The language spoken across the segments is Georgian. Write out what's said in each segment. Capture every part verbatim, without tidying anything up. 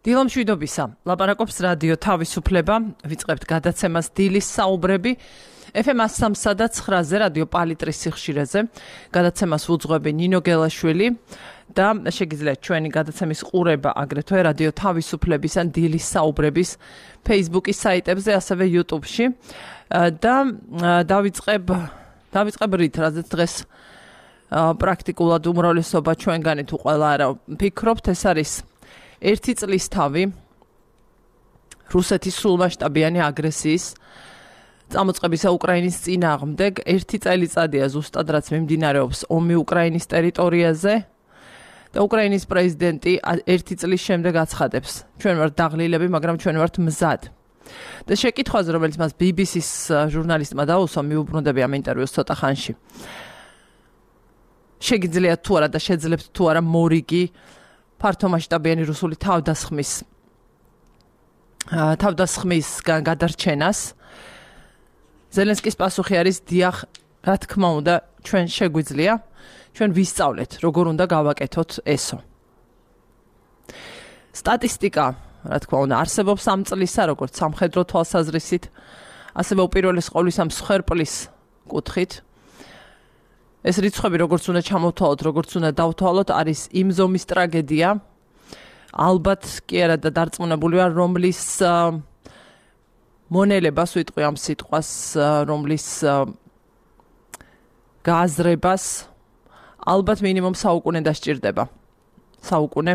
დილამშვიდობისა. ლაპარაკობს რადიო თავისუფლება, ვიწყებთ გადაცემას დილის საუბრები ეფ ემ one oh three და nine-ზე რადიო პალიტრის სიხშირეზე. გადაცემას უძღვები ნინო გელაშვილი და შეგიძლიათ ჩვენი გადაცემის ყურება აგრეთვე რადიო თავისუფლების ან დილის საუბრების Facebook-ის საიტებზე, ასევე YouTube-ში. და დავიწყებ დავიწყებ რით, რადგან დღეს პრაქტიკულად უმრავლესობა ჩვენგანი თუ ყველა არა ფიქრობთ, ეს არის ერთი წლის თავი რუსეთის სრულმასშტაბიანი აგრესიის წამოწყებისა უკრაინის წინააღმდეგ. ერთი წელიწადია ზუსტად, რაც მიმდინარეობს ომი უკრაინის ტერიტორიაზე და უკრაინის პრეზიდენტი ერთი წლის შემდეგ აცხადებს, ჩვენ ვართ დაღლილები, მაგრამ ჩვენ ვართ მზად. და შეკითხვაზე, რომელიც მას ბი ბი სის ჟურნალისტმა დაუსვა, მიუბრუნდები ამ ინტერვიუს ცოტა ხანში. შეგიძლიათ თუ არა და შეძლებთ თუ არა მორიგი ფართომასშტაბიანი რუსული თავდასხმის თავდასხმისგან გადარჩენას. ზელენსკის პასუხი არის დიახ, რა თქმა უნდა, ჩვენ შეგვიძლია, ჩვენ ვისწავლეთ, როგორ უნდა გავაკეთოთ ესო. სტატისტიკა, რა თქმა უნდა, არსებობს ამ წლისა, როგორც სამხედრო თვალსაზრისით, ასევე უპირველეს ყოვლისა მსხვერპლის კუთხით. ეს რიცხვები, როგორც უნდა ჩამოვთვალოთ, როგორც უნდა დავთვალოთ, არის იმ ზომის ტრაგედია. ალბათ კი არა და დარწმუნებული ვარ, რომლის მონელებას ვიტყვი ამ სიტყვას, რომლის გააზრებას ალბათ მინიმუმ საუკუნე დასჭირდება. საუკუნე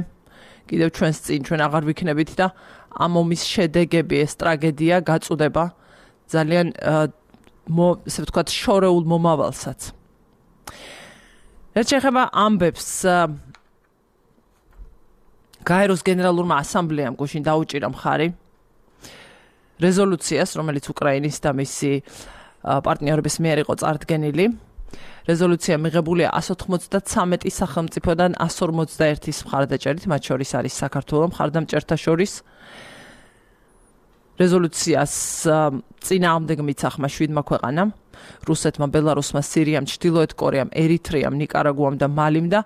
კიდევ ჩვენს წინ, ჩვენ აღარ ვიქნებით და ამ ომის შედეგები, ეს ტრაგედია გაწუდება ძალიან ესე ვთქვათ შორეულ მომავალსაც. რაც შეეხება ამბებს, გაეროს გენერალურმა ასამბლეამ გუშინ დაუჭირა მხარი რეზოლუციას, რომელიც უკრაინის და მისი პარტნიორების მიერ იყო წარდგენილი. რეზოლუცია მიღებულია one ninety-three სახელმწიფოდან one forty-one-ის მხარდაჭერით, მათ შორის არის საქართველოს მხარდამჭერთა შორის. რეზოლუციას წინააღმდეგ მიცახმა შვიდმა ქვეყანამ: რუსეთმა, ბელარუსმა, სირიამ, ჩრდილოეთ კორეამ, ერიტრეამ, ნიკარაგუამ და მალიმ და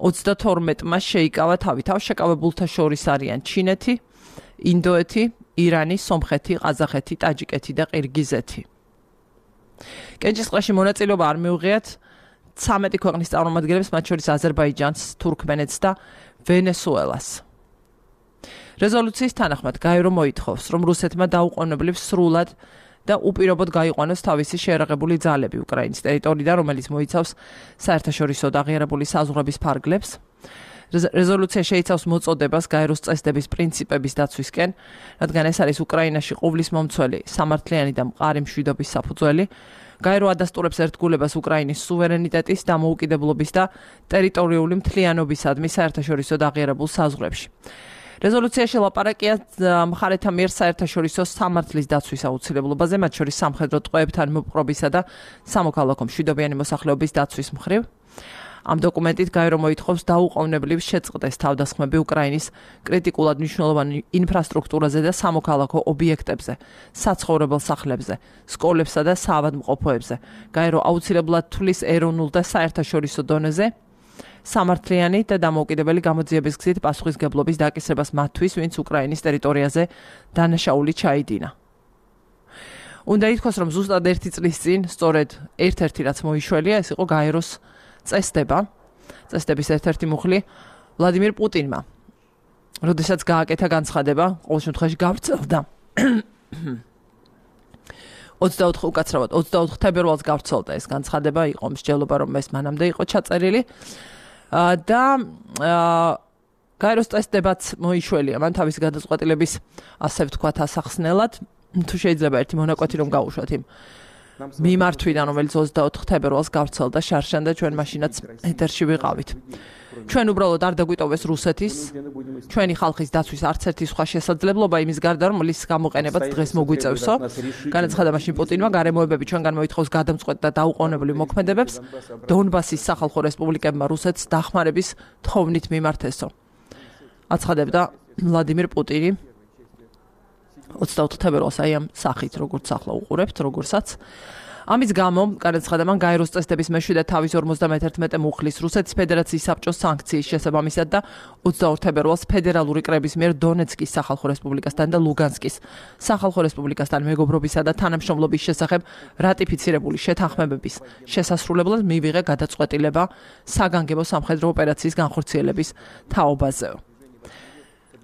thirty-two-მა შეიკავა თავი. თავშეკავებულთა შორის არიან ჩინეთი, ინდოეთი, ირანი, სომხეთი, ყაზახეთი, ტაჯიკეთი და ყირგიზეთი. კენჭისყრაში მონაწილეობა არ მიუღიათ thirteen ქვეყნის წარმომადგენლებს, მათ შორის აზერბაიჯანს, თურქმენეთს და ვენესუელას. რეზოლუციის თანახმად გაერო მოითხოვს, რომ რუსეთმა დაუყოვნებლივ სრულად და უპირობოდ გაიყვანოს თავისი შეერაღებული ძალები უკრაინის ტერიტორიიდან, რომელიც მოიცავს საერთაშორისო და აღიარებული საზღვრების ფარგლებს. რეზოლუცია შეიცავს მოწოდებას გაეროს წესდების პრინციპების დაცვისკენ, რადგან ეს არის უკრაინაში ყოვლის მომცველი, სამართლიანი და მყარი მშვიდობის საფუძველი. გაერო ადასტურებს ერთგულებას უკრაინის სუვერენიტეტის, დამოუკიდებლობის და ტერიტორიული მთლიანობისადმი საერთაშორისო და აღიარებულ საზღვრებში. რეზოლუციაში ლაპარაკია მხარეთა მიერ საერთაშორისო სამართლის დაცვის აუცილებლობაზე, მათ შორის სამხედრო ტყვეებთან მოპყრობისა და სამოქალაქო მშვიდობიანი მოსახლეობის დაცვის მხრივ. ამ დოკუმენტით გაერო მოითხოვს დაუყოვნებლივ შეწყდეს თავდასხმები უკრაინის კრიტიკულად მნიშვნელოვან ინფრასტრუქტურაზე და სამოქალაქო ობიექტებზე, საცხოვრებელ სახლებზე, სკოლებსა და საავადმყოფოებზე. გაერო აუცილებლად თვლის ეროვნულ და საერთაშორისო დონეზე სამართლიანი და დამოუკიდებელი გამოძიების გზით პასუხისგებლობის დაკისრებას მათთვის, ვინც უკრაინის ტერიტორიაზე დანაშაული ჩაიდინა. უნდა ითქვას, რომ ზუსტად ერთი წლის წინ, სწორედ ერთ-ერთი რაც მოიშველია, ეს იყო გაეროს წესდება, წესდების ერთ-ერთი მუხლი ვლადიმირ პუტინმა. როდესაც გააკეთა განცხადება, ყოველ შემთხვევაში გავრცელდა. twenty-four უკაცრავად twenty-four თებერვალს გავრცელდა ეს განცხადება, იყო მსჯელობა, რომ ეს მანამდე იყო ჩაწერილი. და გაეროს წესდებაც მოიშველია მან თავის გადაწყვეტილების, ასე ვთქვათ, ასახსნელად. თუ შეიძლება ერთი მონაკვეთი რომ გავუშვათ იმ მიმართვიდან, რომელიც twenty-four თებერვალს გავრცელდა შარშან და ჩვენ მაშინაც ეთერში ვიყავით. ჩვენ უბრალოდ არ დაგვიტოვეს რუსეთის, ჩვენი ხალხის დაცვის არც ერთი სხვა შესაძლებლობა იმის გარდა, რომ ლის გამოყენებაც დღეს მოგვიწევსო. განაცხადა მაშინ პუტინმა, გარემოებები ჩვენგან მოითხოვს გადამწყვეტ და დაუყოვნებლივ მოქმედებებს დონბასის სახალხო რესპუბლიკებმა რუსეთს დახმარების თხოვნით მიმართესო. აცხადებდა ვლადიმირ პუტინი twenty-four თებერვალს აი ამ სახით, როგორც ახლა უყურებთ, როგორცაც. ამის გამო განაცხადა მან გაეროს წესდების მეშვიდე თავის ორმოცდამეთერთმეტე მუხლის რუსეთის ფედერაციის საბჭოს სანქციის შესაბამისად და ოცდაორ თებერვალს ფედერალური კრების მიერ დონეცკის სახალხო რესპუბლიკასთან და ლუგანსკის სახალხო რესპუბლიკასთან მეგობრობისა და თანამშრომლობის შესახებ რატიფიცირებული შეთანხმებების შესასრულებლად მივიღე გადაწყვეტილება საგანგებო სამხედრო ოპერაციის განხორციელების თაობაზე.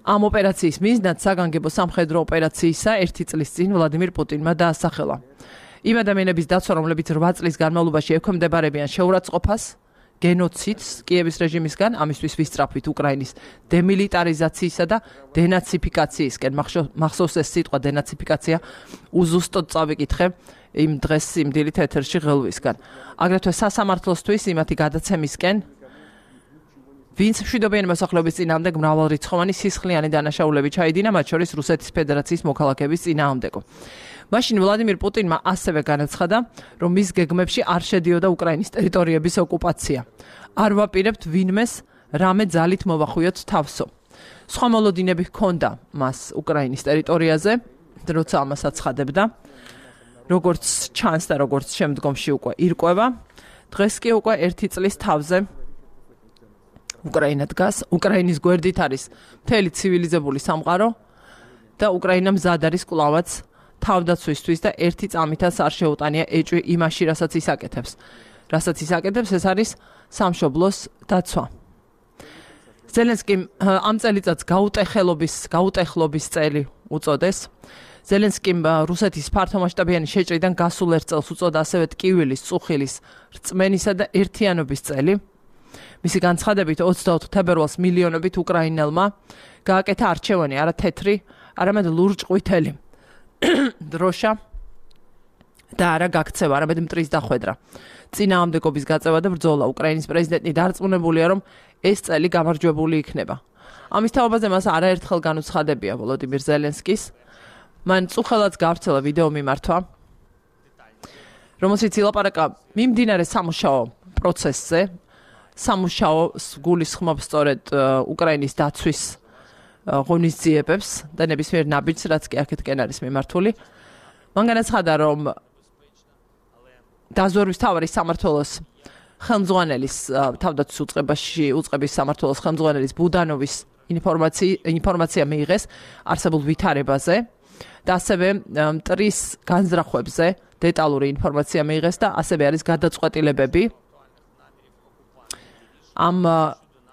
ამ ოპერაციის მიზნად საგანგებო სამხედრო ოპერაციისა ერთი წლის წინ ვლადიმირ პუტინმა დაასახელა. იმ ადამიანების დაცვა, რომლებიც რვა წლის განმავლობაში ექვემდებარებიან შეურაცხყოფას, გენოციდს კიევის რეჟიმისგან, ამისთვის ვისწრაფვით უკრაინის დემილიტარიზაციისა და დენაციფიკაციისკენ. მახსოვს ეს სიტყვა დენაციფიკაცია, უზუსტოდ წავიკითხე იმ დღეს იმ დილით ეთერში ღელვისგან. აგრეთვე სასამართლოსთვის იმათი გადაცემისკენ, ვინც მშვიდობიანი მოსახლეობის წინააღმდეგ მრავალრიცხოვანი სისხლიანი დანაშაულები ჩაიდინა, მათ შორის რუსეთის ფედერაციის მოქალაქეების წინააღმდეგო. მაშინ ვლადიმირ პუტინმა ასევე განაცხადა, რომ მის გეგმებში არ შედიოდა უკრაინის ტერიტორიების ოკუპაცია. არ ვაპირებთ ვინმეს რამე ძალით მოვახვიოთ თავსო. სხვა მოლოდინები ჰქონდა მას უკრაინის ტერიტორიაზე, როცა ამას აცხადებდა, როგორც ჩანს და როგორც შემდგომში უკვე ირკვევა. დღეს კი უკვე ერთი წლის თავზე უკრაინა დგას, უკრაინის გვერდით არის მთელი ცივილიზებული სამყარო და უკრაინა მზად არის კვლავაც თავდაცვისთვის და ერთი წამითაც არ შეუტანია ეჭვი იმაში, რასაც ის აკეთებს. რასაც ის აკეთებს, ეს არის სამშობლოს დაცვა. ზელენსკიმ ამ წელიწადს გაუტეხელობის, გაუტეხლობის წელი უწოდეს. ზელენსკიმ რუსეთის ფართომასშტაბიანი შეჭრიდან გასულ ერთ წელს უწოდა ასევე ტკივილის, წუხილის, რწმენისა და ერთიანობის წელი. მისი განცხადებით ოცდაოთხ თებერვალს მილიონობით უკრაინელმა გააკეთა არჩევანი, არა თეთრი, არამედ ლურჯ-ყვითელი. დროშა და არა გაქცევა, არამედ მტრის დახვედრა. წინააღმდეგობის გაწევა და ბრძოლა. უკრაინის პრეზიდენტი დარწმუნებულია, რომ ეს წელი გამარჯვებული იქნება. ამის თაობაზე მას არაერთხელ განუცხადებია ვოლოდიმირ ზელენსკის. მან წუხელაც გავრცელა ვიდეო მიმართვა, რომელშიც ილაპარაკა მიმდინარე სამუშაო პროცესზე, სამუშაოს გულისხმობს სწორედ უკრაინის დაცვის ღონისძიებებს და ნებისმიერ ნაბიჯს, რაც კი აქეთკენ არის მიმართული. მან განაცხადა, რომ დაზვერვის მთავარი სამმართველოს ხელმძღვანელის თავდაცვის უწყებაში უწყების სამმართველოს ხელმძღვანელის ბუდანოვის ინფორმაცია მიიღეს არსებულ ვითარებაზე და ასევე მტრის განზრახვებზე დეტალური ინფორმაცია მიიღეს და ასევე არის გადაწყვეტილებები ამ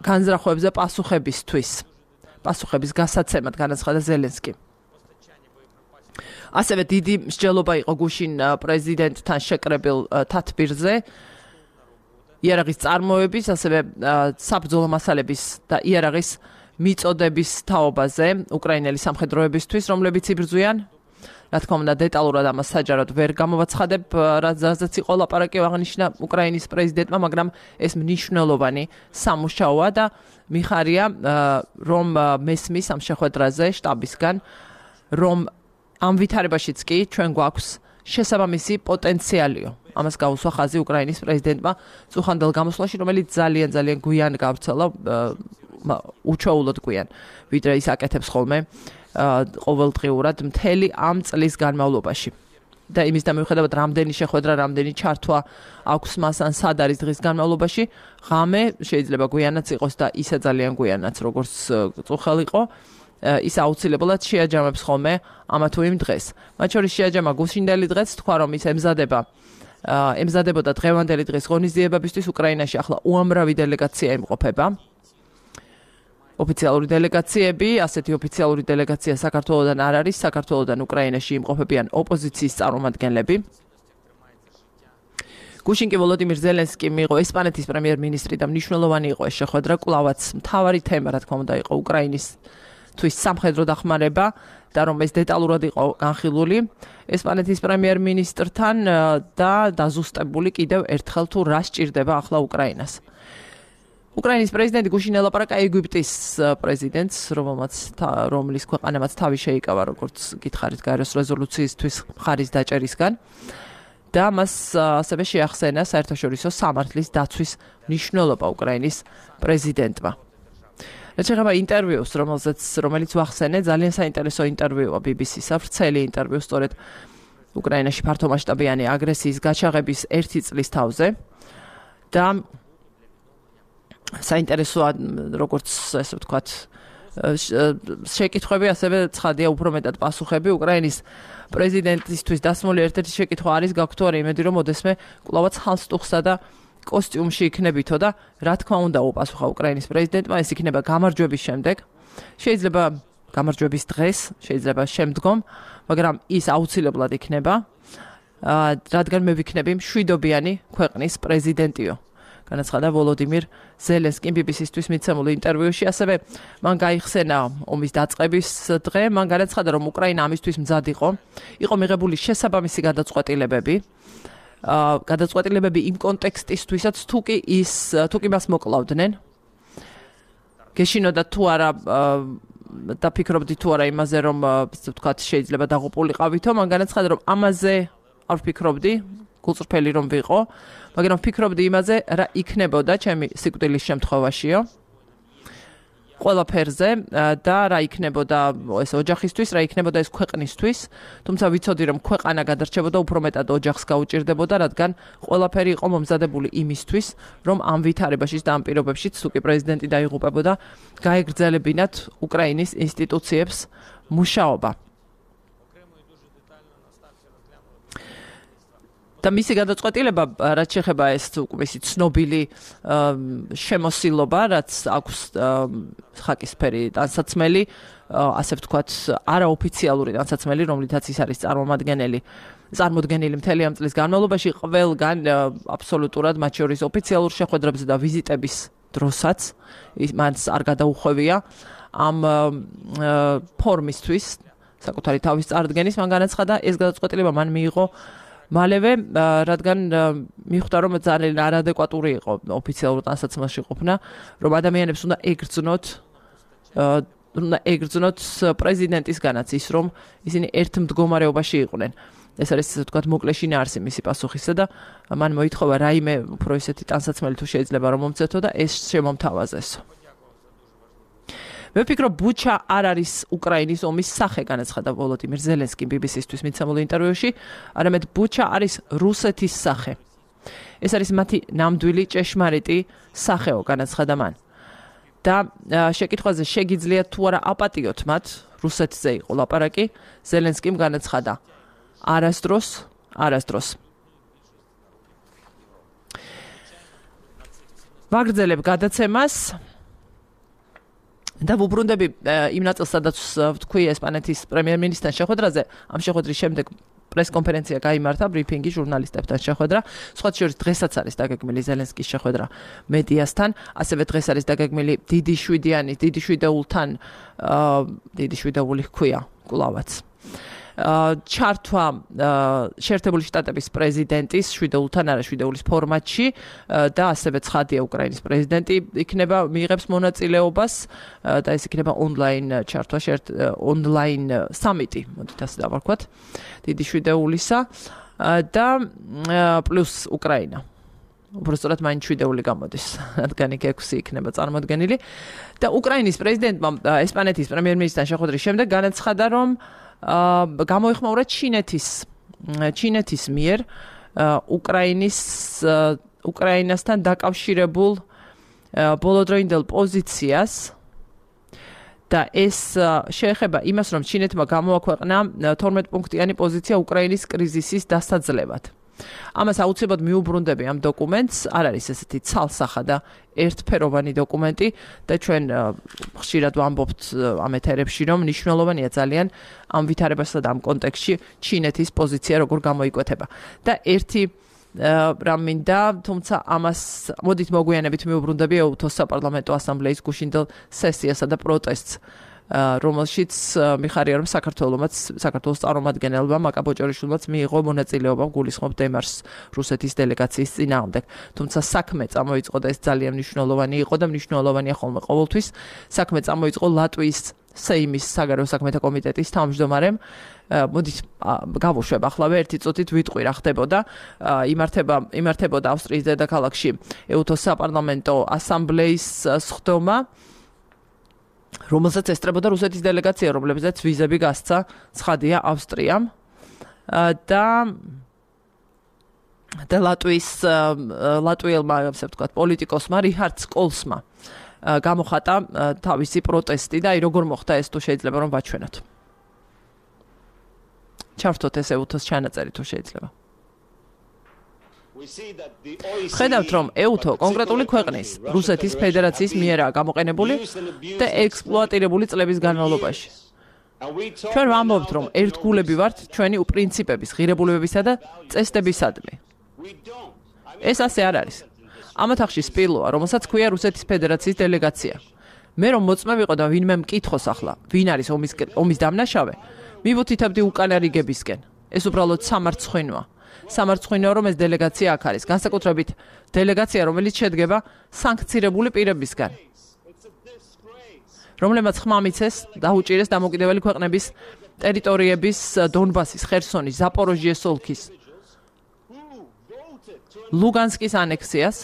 განზრახვებზე პასუხებისთვის, პასუხების გასაცემად განაცხადა ზელენსკი. ასევე დიდი მსჯელობა იყო გუშინ პრეზიდენტთან შეკრებილ თათბირზე, იარაღის წარმოების, ასევე საბრძოლო მასალების და იარაღის მიწოდების თაობაზე უკრაინელი სამხედროებისთვის, რომლებიც იბრძვიან. რა თქმა უნდა, დეტალურად ამას საჯაროდ ვერ გამოვაცხადებ, რაზეც იყო ლაპარაკი აღნიშნა უკრაინის პრეზიდენტმა, მაგრამ ეს მნიშვნელოვანი სამუშაოა და მიხარია, რომ მესმის ამ შეხვედრაზე შტაბისგან, რომ ამ ვითარებაშიც კი ჩვენ გვაქვს შესაბამისი პოტენციალიო. ამას გაუსვა ხაზი უკრაინის პრეზიდენტმა წუხანდელ გამოსვლაში, რომელიც ძალიან ძალიან გვიან გავრცელა, უჩვეულოდ გვიან, ვიდრე ის აკეთებს ხოლმე ყოველდღიურად მთელი ამ წლის განმავლობაში. და იმის და მიუხედავად რამდენი შეხვედრა, რამდენი ჩართვა აქვს მას ან სად არის დღის განმავლობაში, ღამე შეიძლება გვიანაც იყოს და ისე ძალიან გვიანაც, როგორც წუხელ იყო, ის აუცილებლად შეაჯამებს ხოლმე ამა თუ იმ დღეს. მათ შორის შეაჯამა გუშინდელი დღეც, თქვა რომ ის ემზადება ემზადებოდა დღევანდელი დღის ღონისძიებებისთვის. უკრაინაში ახლა უამრავი დელეგაცია იმყოფება. ოფიციალური დელეგაციები, ასეთი ოფიციალური დელეგაცია საქართველოდან არ არის, საქართველოდან უკრაინაში იმყოფებიან ოპოზიციის წარმომადგენლები. გუშინ კი ვოლოდიმირ ზელენსკი მიიღო ესპანეთის პრემიერ-მინისტრი და მნიშვნელოვანი იყო ეს შეხვედრა, კვლავაც მთავარი თემა, რა თქმა უნდა, იყო უკრაინისთვის სამხედრო დახმარება და რომ ეს დეტალურად იყო განხილული ესპანეთის პრემიერ-მინისტრთან და დაზუსტებული კიდევ ერთხელ თუ რა სჭირდება ახლა უკრაინას. უკრაინის პრეზიდენტი გუშინ ელაპარაკა ეგვიპტის პრეზიდენტს, რომელმაც რომლის ქვეყანამაც თავი შეიკავა, როგორც გითხარით, გაეროს რეზოლუციისთვის მხარის დაჭერისგან და მას ასევე შეახსენა საერთაშორისო სამართლის დაცვის მნიშვნელობა უკრაინის პრეზიდენტმა. რაც შეეხება ინტერვიუს, რომელზეც რომელიც ვახსენე, ძალიან საინტერესო ინტერვიუა ბი ბი სის-ს, ვრცელი ინტერვიუ, სწორედ უკრაინაში ფართომასშტაბიანი აგრესიის გაჩაღების ერთი წლის თავზე და საინტერესოა როგორც ესე ვთქვათ შეკითხვები ასევე ცხადია უფრო მეტად პასუხები უკრაინის პრეზიდენტისთვის დასმული ერთ-ერთი შეკითხვა არის გაქვთ თუ არა იმედი რომ ოდესმე კვლავაც ჰალსტუხსა და კოსტიუმში იქნებითო და რა თქმა უნდა უპასუხა უკრაინის პრეზიდენტმა ეს იქნება გამარჯვების შემდეგ შეიძლება გამარჯვების დღეს შეიძლება შემდგომ მაგრამ ის აუცილებლად იქნება რადგან მე ვიქნები მშვიდობიანი ქვეყნის პრეზიდენტიო განაცხადა ვოლოდიმირ ზელენსკიმ ბი ბი სი-ისთვის მიცემულ ინტერვიუში ასევე მან გაიხსენა ომის დაწყების დღე მან განაცხადა რომ უკრაინა ამისთვის მზად იყო იყო მიღებული შესაბამისი გადაწყვეტილებები გადაწყვეტილებები იმ კონტექსტისთვისაც თუ კი ის თუ კი მას მოკლავდნენ გეშინოდა თუ არა დაფიქრობდი თუ არა იმაზე რომ ვთქვათ შეიძლება დაღუპულიყავითო მან განაცხადა რომ ამაზე არ ვფიქრობდი გულწრფელი რომ ვიყო მაგრამ ვფიქრობდი იმაზე რა იქნებოდა ჩემი სიკვდილის შემთხვევაშიო ყველაფერზე და რა იქნებოდა ეს ოჯახისთვის რა იქნებოდა ეს ქვეყნისთვის თუმცა ვიცოდი რომ ქვეყანა გადარჩებოდა უფრო მეტად ოჯახს გაუჭირდებოდა რადგან ყველაფერი იყო მომზადებული იმისთვის რომ ამ ვითარებაშიც და ამ პირობებშიც თუ კი პრეზიდენტი დაიღუპებოდა გაეგრძელებინათ უკრაინის ინსტიტუციებს მუშაობა და მისი გადაწყვეტილება რაც შეეხება ეს მისი ცნობილი შემოსილობა რაც აქვს ხაკისფერი ტანსაცმელი ასე ვთქვათ არაოფიციალური ტანსაცმელი რომლითაც ის არის წარმომადგენელი წარმოდგენილი მთელი ამ წლის განმავლობაში ყველგან აბსოლუტურად მათ შორის ოფიციალურ შეხვედრებზე და ვიზიტების დროსაც მას არ გადაუხვევია ამ ფორმისთვის საკუთარი თავის წარდგენის მან განაცხადა ეს გადაწყვეტილება მან მიიღო მალევე რადგან მიხვდა რომ ძალიან არადეკვატური იყო ოფიციალურ ტანსაცმელში ყოფნა რომ ადამიანებს უნდა ეგრძნოთ უნდა ეგრძნოთ პრეზიდენტისგანაც ის რომ ისინი ერთ მდგომარეობაში იყვნენ ეს არის ასე ვთქვათ მოკლე შინაარსი მისი პასუხისა და მან მოითხოვა რაიმე უფრო ისეთი ტანსაცმელი თუ შეიძლება რომ მომცეთო და ეს შემომთავაზესო მე ვფიქრობ ბუჩა არ არის უკრაინის ომის სახე განაცხადა ვოლოდიმირ ზელენსკიმ ბი ბი სი-ისთვის მიცემულ ინტერვიუში არამედ ბუჩა არის რუსეთის სახე ეს არის მათი ნამდვილი ჭეშმარიტი სახეო განაცხადა მან და შეკითხვაზე შეგიძლიათ თუ არა აპატიოთ მათ რუსეთზე იყო ლაპარაკი ზელენსკიმ განაცხადა არასდროს არასდროს ვაგრძელებ გადაცემას და ვუბრუნდები იმ ნაწილს სადაც ვთქვი ესპანეთის პრემიერ-მინისტრთან შეხვედრაზე ამ შეხვედრის შემდეგ პრეს-კონფერენცია გაიმართა ბრიფინგი ჟურნალისტებთან შეხვედრა სხვა შორის დღესაც არის დაგეგმილი ზელენსკის შეხვედრა მედიასთან ასევე დღეს არის დაგეგმილი დიდი შვიდიანი დიდი შვიდეულთან დიდი შვიდეული ჰქვია კვლავაც ჩართვა შეერთებული შტატების პრეზიდენტის შვიდეულთან არა შვიდეულის ფორმატში და ასევე ცხადია უკრაინის პრეზიდენტი იქნება მიიღებს მონაწილეობას და ეს იქნება ონლაინ ჩართვა ონლაინ სამიტი მოდით ასე დავარქვათ დიდი შვიდეულისა და პლუს უკრაინა უბრალოდ მაინც შვიდეული გამოდის რადგან იქ ექვსი იქნება წარმოდგენილი და უკრაინის პრეზიდენტმა ესპანეთის პრემიერ-მინისტრთან შეხვედრის შემდეგ განაცხადა რომ გამოიხმაურა ჩინეთის ჩინეთის მიერ უკრაინის უკრაინასთან დაკავშირებულ ბოლოდროინდელ პოზიციას და ეს შეეხება იმას რომ ჩინეთმა გამოაქვეყნა თორმეტ პუნქტიანი პოზიცია უკრაინის კრიზისის დასაძლევად ამას აუცილებლად მიუბრუნდები ამ დოკუმენტს არ არის ესეთი ცალსახა და ერთფეროვანი დოკუმენტი და ჩვენ ხშირად ვამბობთ ამ ეთერებში რომ მნიშვნელოვანია ძალიან ამ ვითარებასა და ამ კონტექსტში ჩინეთის პოზიცია როგორ გამოიკვეთება და ერთი რამ მინდა თუმცა ამას მოდით მოგვიანებით მიუბრუნდები ეუთოს საპარლამენტო ასამბლეის გუშინდელ სესიასა და პროტესტს რომელშიც მიხარია რომ საქართველოსაც საქართველოს წარმომადგენელმა მაკა ბოჭორიშვილმაც მიიღო მონაწილეობა გულისხმობ დემარშს რუსეთის დელეგაციის წინააღმდეგ თუმცა საქმე წამოიწყო და ეს ძალიან მნიშვნელოვანი იყო და მნიშვნელოვანია ხოლმე ყოველთვის საქმე წამოიწყო ლატვიის სეიმის საგარეო საქმეთა კომიტეტის თავმჯდომარემ მოდით გავუშვებ ახლა ერთი წუთით ვიტყვი რა ხდებოდა იმართება იმართებოდა ავსტრიის დედაქალაქში ეუთოს საპარლამენტო ასამბლეის სხდომა რომელსაც ესწრებოდა რუსეთის დელეგაცია, რომლებზეც ვიზები გასცა ცხადია ავსტრიამ და და ლატვიის ლატვიელმა, ასე ვთქვათ, პოლიტიკოსმა რიჰარდ სკოლსმა გამოხატა თავისი პროტესტი და აი როგორ მოხდა ეს თუ შეიძლება რომ ვაჩვენოთ. ჩავთოთ ეს ეუთოს ჩანაწერი თუ შეიძლება. ხედავთ რომ ეუთო კონკრეტული ქვეყნის რუსეთის ფედერაციის მიერაა გამოყენებული და ექსპლუატირებული წლების განმავლობაში. ჩვენ ვამბობთ რომ ერთგულები ვართ ჩვენი პრინციპების, ღირებულებებისა და წესდებისადმი. ეს ასე არ არის. ამ ოთახში სპილოა, რომელსაც ქვია რუსეთის ფედერაციის დელეგაცია. მე რომ მოწმე ვიყო და ვინმე მკითხოს ახლა, ვინ არის ომის ომის დამნაშავე, მივუთითებდი უკანა რიგებისკენ. ეს უბრალოდ სამარცხვინოა. სამარცხვინოა რომ ეს დელეგაცია აქ არის, განსაკუთრებით დელეგაცია, რომელიც შედგება სანქცირებული პირებისგან. რომლებმაც ხმა მიცეს დაუჭირეს დამოუკიდებელი ქვეყნების ტერიტორიების დონბასის, ხერსონის, ზაპოროჟიეს ოლქის, ლუგანსკის ანექსიას.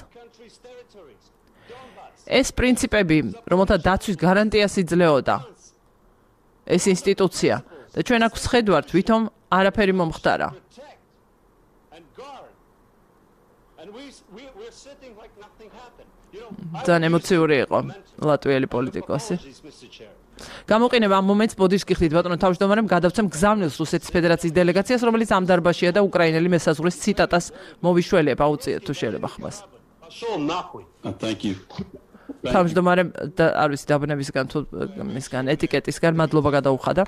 ეს პრინციპები, რომელთა დაცვის გარანტიას იძლეოდა ეს ინსტიტუცია და ჩვენ აქ ვხედავთ, ვითომ არაფერი მომხდარა. ძალიან ემოციური იყო ლატვიელი პოლიტიკოსი. გამოყენება ამ მომენტს ბოდიშს გიხდით ბატონო თავმჯდომარემ გადავცემ გზავნილს რუსეთის ფედერაციის დელეგაციას, რომელიც ამ დარბაზშია და უკრაინელი მესაზღვრის ციტატას მოვიშველება, უწიეთ თუ შეიძლება ხმას. თავმჯდომარემ არ ვიცი დაბნებისგან თუ მისგან ეტიკეტისგან მადლობა გადაუხადა.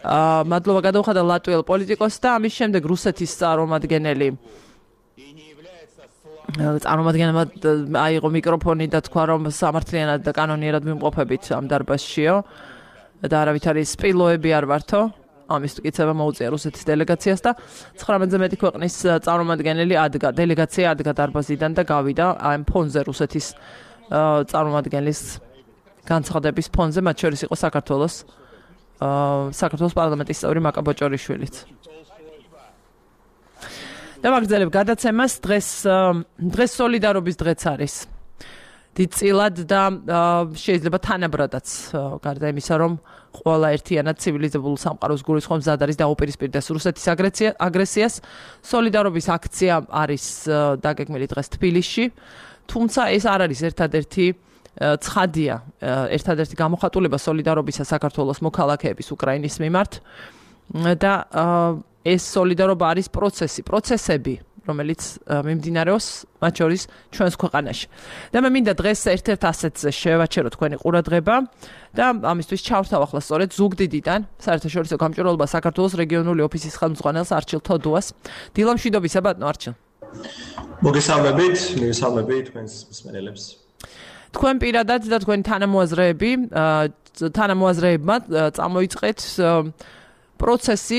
აა მადლობა გადაუხადა ლატვიელ პოლიტიკოსს და ამის შემდეგ რუსეთის წარმომადგენელი წარმომადგენელმა აიღო მიკროფონი და თქვა რომ სამართლიანად და კანონიერად ვიმყოფებით ამ დარბაზშიო და არავითარი სპილოები არ ვართო. ამის მტკიცება მოუწია რუსეთის დელეგაციას და ცხრამეტზე მეტი ქვეყნის წარმომადგენელი ადგა დელეგაცია ადგა დარბაზიდან და გავიდა ამ ფონზე რუსეთის წარმომადგენლის განცხადების ფონზე, მათ შორის იყო საქართველოს საქართველოს პარლამენტის წევრი მაკა ბოჭორიშვილიც. და ვაგრძელებ გადაცემას. დღეს დღეს სოლიდარობის დღეც არის. დიდწილად და შეიძლება თანაბრადაც გარდა იმისა, რომ ყველა ერთიანად ცივილიზებულ სამყაროს გულისხმობს მზად არის დაუპირისპირდეს რუსეთის აგრესიას. სოლიდარობის აქცია არის დაგეგმილი დღეს თბილისში, თუმცა ეს არ არის ერთადერთი ცხადია, ერთადერთი გამოხატულება სოლიდარობისა საქართველოს მოქალაქეების უკრაინის მიმართ და ეს სოლიდარობა არის პროცესი, პროცესები, რომელიც მიმდინარეობს მათ შორის ჩვენს ქვეყანაში. და მე მინდა დღეს ერთ-ერთ ასეთზე შევაჩერო თქვენი ყურადღება და ამისთვის ჩავრთავ ახლა სწორედ ზუგდიდიდან საერთაშორისო გამჭვირვალობა საქართველოს რეგიონული ოფისის ხელმძღვანელს არჩილ თოდუას. დილა მშვიდობისა ბატონო არჩილ. მოგესალმებით, მივესალმებით თქვენს მსმენელებს. თქვენ პირადად და თქვენი თანამოაზრეები, თანამოაზრეებმა წამოიწყეთ პროცესი,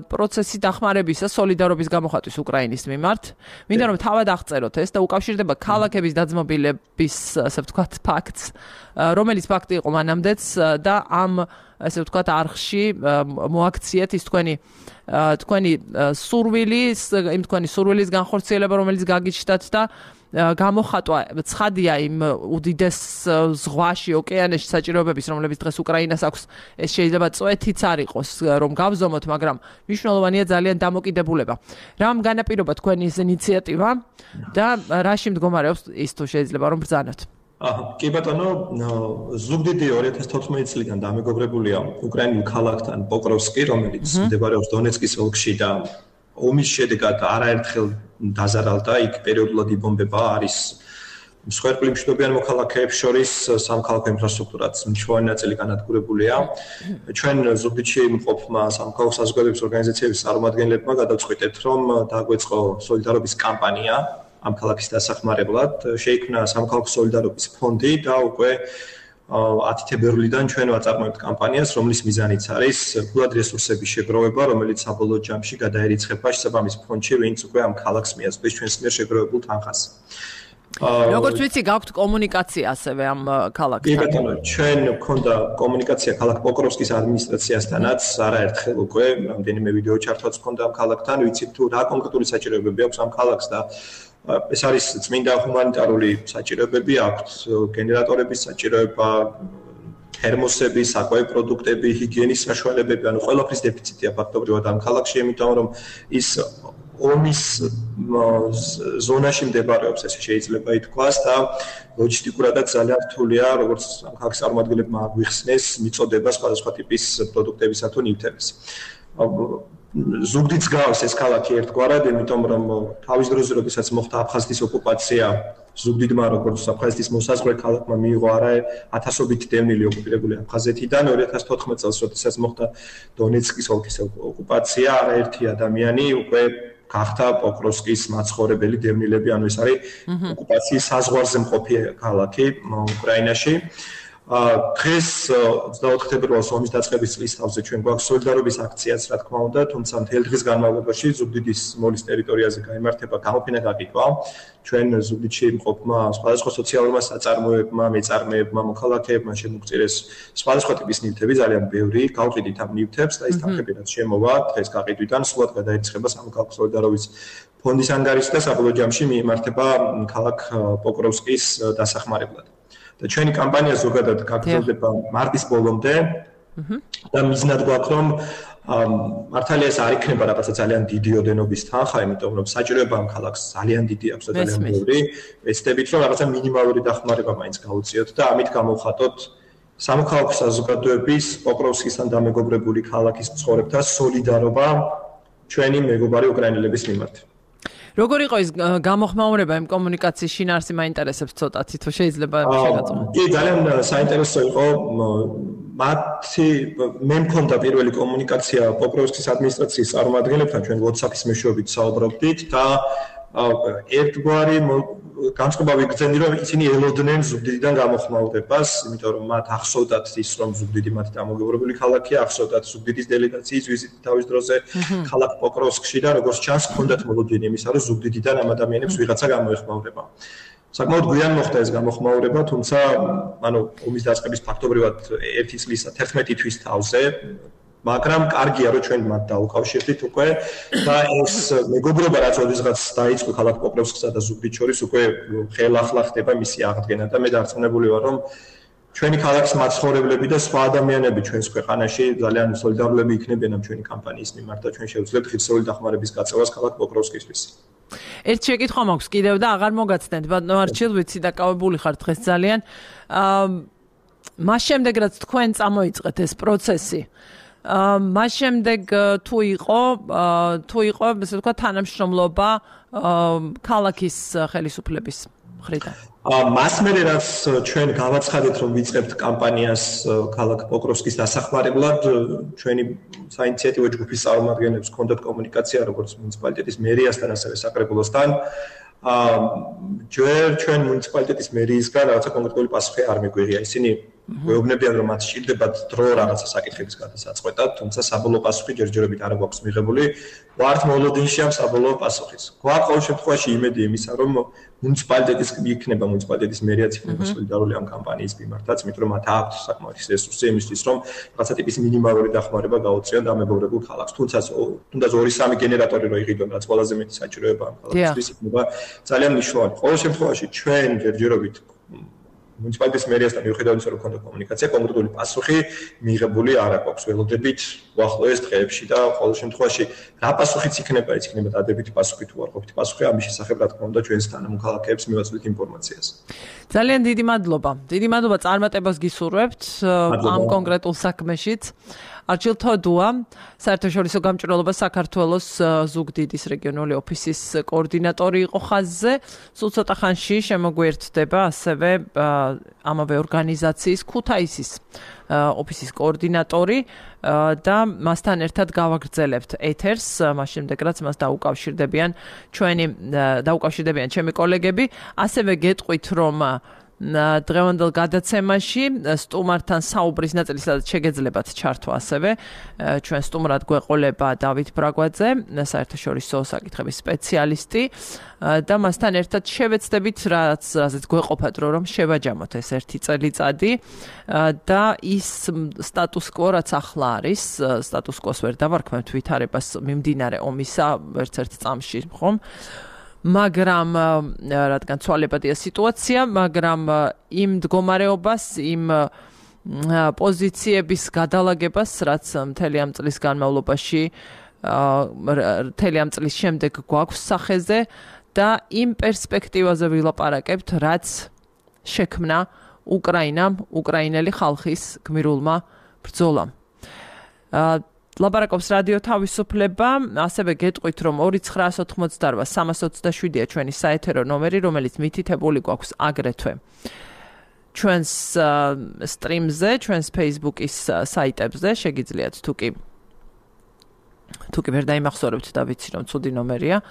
პროცესი დახმარებისა, სოლიდარობის გამოხატვის უკრაინის მიმართ. მინდა რომ თავად აღწეროთ ეს და უკავშირდება ქალაქების დაძმობილების, ასე ვთქვათ, ფაქტს, რომელიც ფაქტი იყო მანამდეც და ამ, ასე ვთქვათ, არხში მოაქციეთ ის თქვენი თქვენი სურვილი, იმ თქვენი სურვილის განხორციელება, რომელიც გაგიჩნდათ და გამოხატვა ცხადია იმ უდიდეს ზღვაში, ოკეანეში საჭიროებების, რომლებიც დღეს უკრაინას აქვს, ეს შეიძლება წვეთიც არ იყოს, რომ გავზომოთ, მაგრამ მნიშვნელოვანია ძალიან დამოკიდებულება. რამ განაპირობა თქვენი ეს ინიციატივა და რაში მდგომარეობს ის თუ შეიძლება რომ ბრძანოთ? აჰა, კი ბატონო, ზუგდიდი ორი ათას თოთხმეტი წლიდან დამეგობრებულია უკრაინულ ქალაქთან პოკროვსკი, რომელიც მდებარეობს დონეცკის ოლქში და ომის შედეგად არაერთხელ დაზარალდა, იქ პერიოდულად იბომბება, არის მსხვერპლი მშვიდობიან მოქალაქეებს შორის სამხალხო ინფრასტრუქტურაც მნიშვნელოვანი ნაწილი განადგურებულია. ჩვენ ზუგდიდში მყოფმა სამხალხო საზოგადოების ორგანიზაციების წარმომადგენლებმა გადავწყვიტეთ, რომ დაგვეწყო სოლიდარობის კამპანია ამ ქალაქის დასახმარებლად. შეიქმნა სამხალხო სოლიდარობის ფონდი და უკვე ათი თებერვლიდან ჩვენ ვაწარმოებთ კამპანიას, რომლის მიზანიც არის ფულად რესურსების შეგროვება, რომელიც საბოლოო ჯამში გადაერიცხება შესაბამის ფონდში, ვინც უკვე ამ ქალაქს მიაწვდის ჩვენს მიერ შეგროვებულ თანხას. როგორც ვიცი, გაქვთ კომუნიკაცია ასევე ამ ქალაქთან. კი ბატონო, ჩვენ გვქონდა კომუნიკაცია ქალაქ პოკროვსკის ადმინისტრაციასთანაც, არაერთხელ უკვე რამდენიმე ვიდეო ჩართვაც გვქონდა ამ ქალაქთან, ვიცით თუ რა კონკრეტული საჭიროებები აქვს ამ ქალაქს და ეს არის წმინდა ჰუმანიტარული საჭიროებები, აქვთ გენერატორების საჭიროება, თერმოსები, საკვები პროდუქტები, ჰიგიენის საშუალებები, ანუ ყველაფრის დეფიციტია ფაქტობრივად ამ ქალაქში, იმიტომ რომ ის ომის ზონაში მდებარეობს, ესე შეიძლება ითქვას და ლოჯისტიკურადაც ძალიან რთულია, როგორც ამ ქალაქის წარმომადგენლებმა აღვიხსნეს, მიწოდება სხვადასხვა ტიპის პროდუქტებისა თუ ნივთების. ზუგდიდს გავს ეს ქალაქი ერთგვარად, იმიტომ რომ თავის დროზე, როდესაც მოხდა აფხაზეთის ოკუპაცია, ზუგდიდმა როგორც აფხაზეთის მოსაზღვრე ქალაქმა მიიღო არა ათასობით დევნილი ოკუპირებული აფხაზეთიდან, ორი ათას თოთხმეტ წელს, როდესაც მოხდა დონეცკის ოლქის ოკუპაცია, არაერთი ადამიანი უკვე გახდა პოკროვსკის მაცხოვრებელი დევნილები, ანუ ეს არის ოკუპაციის საზღვარზე მყოფი ქალაქი უკრაინაში. დღეს ოცდაოთხ თებერვალს ომის დაწყების წლის თავზე ჩვენ გვაქვს სოლიდარობის აქციაც, რა თქმა უნდა, თუმცა მთელი დღის განმავლობაში ზუგდიდის მოლის ტერიტორიაზე გამართება გამოფენა გაკითხვა. ჩვენ ზუგდიდში მყოფმა სხვადასხვა სოციალურმა საწარმოებმა, მეწარმეებმა, მოქალაქეებმა შემოგწირეს სხვადასხვა ტიპის ნივთები, ძალიან ბევრი, გავყიდით ამ ნივთებს და ის თანხები რაც შემოვა დღეს გაყიდვიდან სულად გადაირიცხება სამოქალაქო სოლიდარობის ფონდის ანგარიშში და საბოლოო ჯამში მიემართება ქალაქ პოკროვსკის დასახმარებლად. და ჩვენი კამპანია ზოგადად გაგრძელდება მარტის ბოლომდე და მიზნად გვაქვს რომ მართალია ეს არ იქნება რაღაცა ძალიან დიდი ოდენობის თანხა, იმიტომ რომ საჭიროება ამ ქალაქს ძალიან დიდი აქვს და ძალიან ბევრი. ვეცდებით რომ რაღაცა მინიმალური დახმარება მაინც გავუწიოთ და ამით გამოვხატოთ სამოქალაქო საზოგადოების პოკროვსკისთან დამეგობრებული ქალაქის მცხოვრებთა სოლიდარობა ჩვენი მეგობარი უკრაინელების მიმართ. როგორ იყო ის გამოხმაურება იმ კომუნიკაციის შინაარსი მაინტერესებს ცოტათი თუ შეიძლება შეგაწყვეტო. კი, ძალიან საინტერესო იყო. მათი მე მქონდა პირველი კომუნიკაცია პოკროვსკის ადმინისტრაციის წარმომადგენლებთან, ჩვენ WhatsApp-ის მეშვეობით საუბრობდით და ერთგვარი განწყობა ვიგრძენდი, რომ ისინი ელოდნენ ზუგდიდიდან გამოხმაურებას, იმიტომ რომ მათ ახსოვდათ ის, რომ ზუგდიდი მათი დამოუკიდებელი ქალაქია, ახსოვდათ ზუგდიდის დელეგაციის ვიზიტი თავის დროზე ქალაქ პოკროვსკში და როგორც ჩანს, ჰქონდათ მოლოდინი იმისა, რომ ზუგდიდიდან ამ ადამიანებს ვიღაცა გამოეხმაურება. საკმაოდ გვიან მოხდა ეს გამოხმაურება, თუმცა, ანუ ომის დაწყების ფაქტობრივად ერთი წლის თერთმეტი თვის თავზე მაგრამ კარგია რომ ჩვენ მათ დაუკავშირდით უკვე და ეს მეგობრობა რაც ოდესღაც დაიწყო ქალაქ პოკროვსკსა და ზუგდიდ შორის უკვე ხელახლა ხდება მისი აღდგენა და მე დარწმუნებული ვარ რომ ჩვენი ქალაქის მაცხოვრებლები და სხვა ადამიანები ჩვენს ქვეყანაში ძალიან სოლიდარული იქნებიან ამ ჩვენი კამპანიის მიმართ და ჩვენ შევძლებთ ღირსეული დახმარების გაწევას ქალაქ პოკროვსკისთვის. ერთ შეკითხვა მაქვს კიდევ და აღარ მოგაცდენთ, ბატონო არჩილ, ვიცი დაკავებული ხარ დღეს ძალიან. მას შემდეგ რაც თქვენ წამოიწყეთ ეს პროცესი მას შემდეგ თუ იყო თუ იყო ესე ვთქვა თანამშრომლობა ქალაქის ხელისუფლების მხრიდან. მას მერე რაც ჩვენ გავაცხადეთ რომ ვიწყებთ კამპანიას ქალაქ პოკროვსკის დასახმარებლად, ჩვენი საინიციატივო ჯგუფის წარმომადგენლებს ჰქონდათ კომუნიკაცია როგორც მუნიციპალიტეტის მერიასთან, ასევე საკრებულოსთან. ჯერ ჩვენ მუნიციპალიტეტის მერიისგან რაღაცა კონკრეტული პასუხი არ მიგვიღია. ისინი გვეუბნებიან რომ მათ სჭირდებათ დრო რაღაცა საკითხების გადასაწყვეტად, თუმცა საბოლოო პასუხი ჯერჯერობით არ გვაქვს მიღებული. ვართ მოლოდინში ამ საბოლოო პასუხის. გვაქვს ყოველ შემთხვევაში იმედი იმისა, რომ მუნიციპალიტეტის იქნება მუნიციპალიტეტის მერიაც იქნება სოლიდარული ამ კამპანიის მიმართაც, იმიტომ რომ მათ აქვს საკმაოდ რესურსი იმისთვის, რომ რაღაცა ტიპის მინიმალური დახმარება გაუწიონ დამეგობრებულ ქალაქს. თუმცა თუნდაც ორი სამი გენერატორი რო იღიდონ, რაც ყველაზე მეტი საჭიროება ამ ქალაქისთვის იქნება ძალიან მნიშვნელოვანი. ყოველ შემთხვევაში ჩვენ ჯერჯერობით მუნიციპალიტეტის მერიასთან მიუხედავად იმისა, რომ ქონდა კომუნიკაცია, კონკრეტული პასუხი მიღებული არ აქვს. ველოდებით უახლოეს დღეებში და ყოველ შემთხვევაში რა პასუხიც იქნება, ის იქნება დადებითი პასუხი თუ არ ყოფითი პასუხი, ამის შესახებ რა თქმა უნდა ჩვენს თანამოქალაქეებს მივაწვდით ინფორმაციას. ძალიან დიდი მადლობა. დიდი მადლობა წარმატებას გისურვებთ ამ კონკრეტულ საქმეშიც. არჩილ თოდუა, საერთაშორისო გამჭვირვალობა საქართველოს ზუგდიდის რეგიონული ოფისის კოორდინატორი იყო ხაზზე. სულ ცოტა ხანში შემოგვიერთდება ასევე ამავე ორგანიზაციის ქუთაისის ოფისის კოორდინატორი და მასთან ერთად გავაგრძელებთ ეთერს, მას შემდეგ რაც მას დაუკავშირდებიან ჩვენი დაუკავშირდებიან ჩემი კოლეგები. ასევე გეტყვით რომ დღევანდელ გადაცემაში სტუმართან საუბრის ნაწილი სადაც შეგეძლებათ ჩართვა ასევე ჩვენ სტუმრად გვეყოლება დავით ბრაგვაძე, საერთაშორისო საკითხების სპეციალისტი და მასთან ერთად შევეცდებით რაც რაზეც გვეყოფათ რომ შევაჯამოთ ეს ერთი წელიწადი და ის სტატუს კვო რაც ახლა არის, სტატუს კვოს ვერ დავარქმევთ ვითარებას მიმდინარე ომისა ერთ-ერთ წამში, ხომ? მაგრამ რადგან ცვალებადია სიტუაცია, მაგრამ იმ მდგომარეობას, იმ პოზიციების გადალაგებას, რაც მთელი ამ წლის განმავლობაში მთელი ამ წლის შემდეგ გვაქვს სახეზე და იმ პერსპექტივაზე ვილაპარაკებთ, რაც შექმნა უკრაინამ, უკრაინელი ხალხის გმირულმა ბრძოლამ. ლაპარაკობს რადიო თავისუფლება, ასევე გეტყვით, რომ ორი ცხრაას ოთხმოცდაოთხ სამას ოცდაშვიდია ჩვენი საეთერო ნომერი, რომელიც მითითებული გვაქვს აგრეთვე ჩვენს სტრიმზე, ჩვენს Facebook-ის საიტებზე, შეგიძლიათ თუ კი თუ კი ვერ დაიმახსოვრებთ და ვიცი რომ ცუდი ნომერია,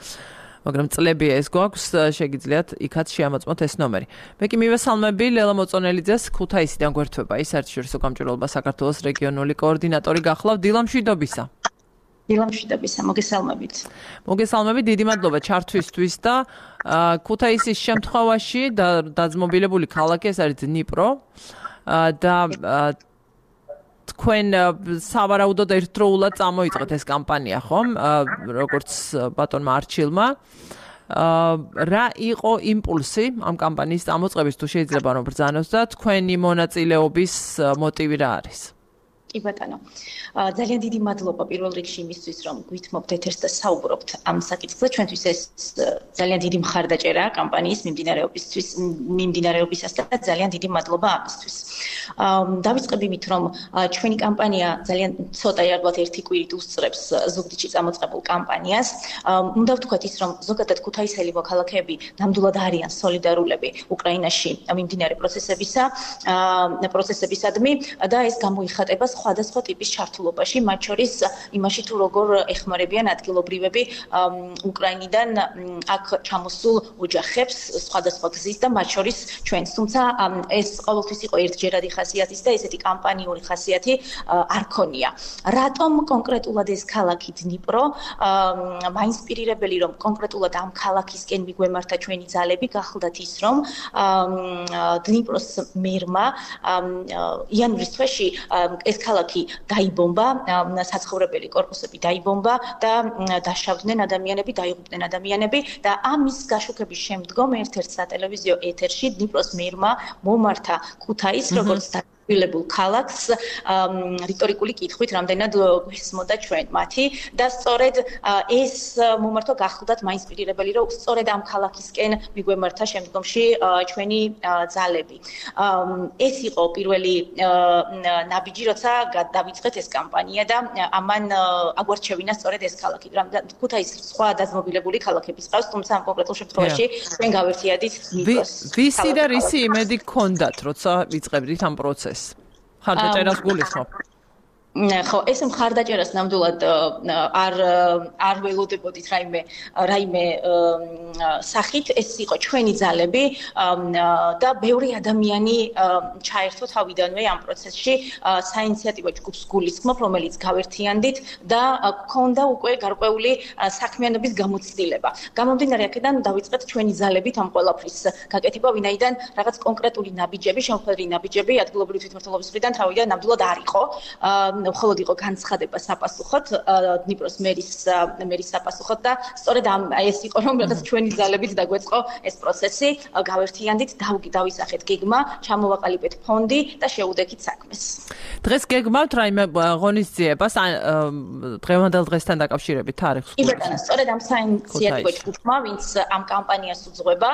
მაგრამ წლებია ეს გვაქვს, შეგიძლიათ იქაც შეამოწმოთ ეს ნომერი. მე კი მივესალმები ლელა მოწონელიძეს, ქუთაისიდან გვერდება ის საერთაშორისო გამჭვირვალობა საქართველოს რეგიონული კოორდინატორი გახლავთ. დილა მშვიდობისა. დილა მშვიდობისა, მოგესალმებით. მოგესალმები, დიდი მადლობა ჩართვისთვის და ქუთაისის შემთხვევაში და დაძმობილებული ქალაქი ეს არის დნიპრო და თქვენ სავარაუდოდ ერთდროულად წამოიწყეთ ეს კამპანია, ხომ? როგორც ბატონმა არჩილმა. რა იყო იმპულსი ამ კამპანიის წამოწყების, თუ შეიძლება რომ ბრძანოთ და თქვენი მონაწილეობის მოტივი რა არის? კი ბატონო. ძალიან დიდი მადლობა პირველ რიგში იმისთვის, რომ გვითმობთ ეთერს და საუბრობთ ამ საკითხზე. ჩვენთვის ეს ძალიან დიდი მხარდაჭერაა კამპანიის მიმდინარეობისთვის, მიმდინარეობისას და ძალიან დიდი მადლობა ამისთვის. დავიწყებ იმით, რომ ჩვენი კამპანია ძალიან ცოტა ალბათ ერთი კვირით უსწრებს ზუგდიდში წამოწყებულ კამპანიას. უნდა ვთქვათ ის, რომ ზოგადად ქუთაისელი მოქალაქეები ნამდვილად არიან სოლიდარულები უკრაინაში მიმდინარე პროცესებისა, პროცესებისადმი და ეს გამოიხატება სხვადასხვა ტიპის ჩართულობაში, მათ შორის იმაში თუ როგორ ეხმარებიან ადგილობრივები უკრაინიდან აქ ჩამოსულ ოჯახებს სხვადასხვა გზის და მათ შორის ჩვენს. თუმცა ეს ყოველთვის იყო ერთჯერადი ხასიათის და ესეთი კამპანიური ხასიათი არ ქონია. რატომ კონკრეტულად ეს ქალაქი დნიპრო მაინსპირირებელი, რომ კონკრეტულად ამ ქალაქისკენ მიგვემართა ჩვენი ძალები, გახლდათ ის, რომ დნიპროს მერმა იანვრის თვეში ეს ქალაქი დაიბომბა, საცხოვრებელი კორპუსები დაიბომბა და დაშავდნენ ადამიანები, დაიღუპნენ ადამიანები და ამის გაშუქების შემდგომ ერთ-ერთ სატელევიზიო ეთერში დნიპროს მერმა მომართა ქუთაისს როგორც ვილებულ ქალაქს რიტორიკული კითხვით, რამდენად გვესმოდა ჩვენ მათი და სწორედ ეს მომართვა გახლდათ მაინსპირირებელი, რომ სწორედ ამ ქალაქისკენ მიგვემართა შემდგომში ჩვენი ძალები. ეს იყო პირველი ნაბიჯი, როცა დავიწყეთ ეს კამპანია და ამან აგვარჩევინა სწორედ ეს ქალაქი. ქუთაისს სხვა დაძმობილებული ქალაქების ყავს, თუმცა ამ კონკრეტულ შემთხვევაში ჩვენ გავერთიადით დნიპროს. ვისი და რისი იმედი გქონდათ, როცა ვიწყებდით ამ პროცესს? ხარდაჭერას გულისხმობ. ხო, ეს მხარდაჭერას ნამდვილად არ არ ველოდებოდით რაიმე რაიმე სახით, ეს იყო ჩვენი ძალები და ბევრი ადამიანი ჩაერთო თავიდანვე ამ პროცესში, საინიციატივო ჯგუფს გულისხმობ, რომელიც გავერთიანდით და გქონდა უკვე გარკვეული საქმიანობის გამოცდილება. გამომდინარე აქედან დავიწყეთ ჩვენი ძალებით ამ ყველაფრის გაკეთება, ვინაიდან რაღაც კონკრეტული ნაბიჯები, შემოქმედილი ნაბიჯები ადგილობრივი თვითმმართველობის მხრიდან თავიდან ნამდვილად არ იყო. მხოლოდ იყო განცხადება საპასუხოდ დნიპროს მერის მერის საპასუხოდ და სწორედ ამ ეს იყო რომ რაღაც ჩვენი ძალებით დაგვეწყო ეს პროცესი, გავერთიანდით, დავისახეთ გეგმა, ჩამოვაყალიბეთ ფონდი და შეუდექით საქმეს. დღეს გეგმავთ რაიმე ღონისძიებას დღევანდელ დღესთან დაკავშირებით თარიღს? კი ბატონო, სწორედ ამ საინიციატივო ჯგუფმა, ვინც ამ კამპანიას უძღვება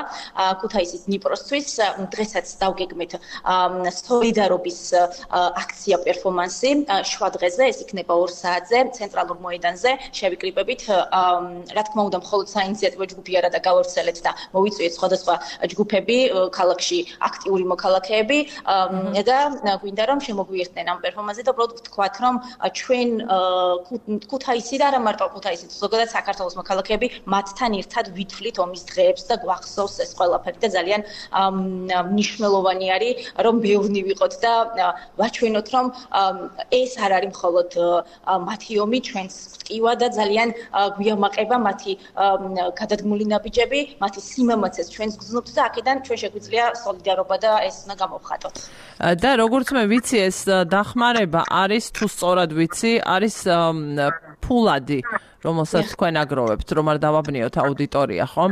ქუთაისის დნიპროსთვის, დღესაც დავგეგმეთ სოლიდარობის აქცია პერფორმანსი შვა დღეზე, ეს იქნება ორ საათზე ცენტრალურ მოედანზე, შევიკრიბებით, რა თქმა უნდა, მხოლოდ საინიციატივო ჯგუფი არა და გავავრცელეთ და მოვიწვიეთ სხვადასხვა ჯგუფები ქალაქში, აქტიური მოქალაქეები და გვინდა რომ შემოგვიერთდნენ ამ პერფორმანსზე და უბრალოდ ვთქვათ, რომ ჩვენ ქუთაისი და არა მარტო ქუთაისი, ზოგადად საქართველოს მოქალაქეები მათთან ერთად ვითვლით ომის დღეებს და გვახსოვს ეს ყველაფერი და ძალიან მნიშვნელოვანი არის, რომ ბევრნი ვიყოთ და ვაჩვენოთ, რომ ეს არ არის მხოლოდ მათი ომი, ჩვენს ტკივა და ძალიან გვიამაყება მათი გადადგმული ნაბიჯები, მათი სიმამაცეს ჩვენს გრძნობთ და აქედან ჩვენ შეგვიძლია სოლიდარობა და ეს უნდა გამოვხატოთ. და როგორც მე ვიცი, ეს დახმარება არის თუ სწორად ვიცი, არის ფულადი, რომელსაც თქვენ აგროვებთ, რომ არ დავაბნიოთ აუდიტორია, ხომ?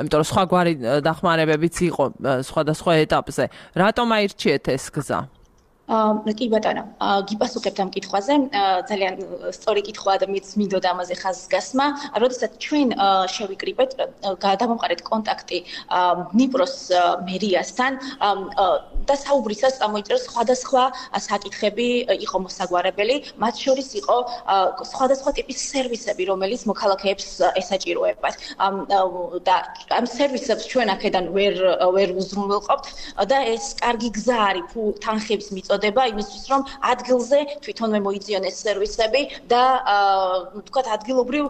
იმიტომ რომ სხვაგვარი დახმარებებიც იყო სხვადასხვა ეტაპზე. რატომ აირჩიეთ ეს გზა? კი ბატონო, გიპასუხებთ ამ კითხვაზე. ძალიან სწორი კითხვაა და მეც მინდოდა ამაზე ხაზგასმა. როდესაც ჩვენ შევიკრიბეთ, გადამამყარეთ კონტაქტი დნიპროს მერიასთან და საუბრისას წამოიწერა სხვადასხვა საკითხები იყო მოსაგვარებელი, მათ შორის იყო სხვადასხვა ტიპის სერვისები, რომელიც მოქალაქეებს ესაჭიროებათ. და ამ სერვისებს ჩვენ აქედან ვერ ვერ უზრუნველყოფთ და ეს კარგი გზა არის თანხების მიწოდება იმისთვის, რომ ადგილზე თვითონვე მოიწიონეს სერვისები და თქვათ ადგილობრივ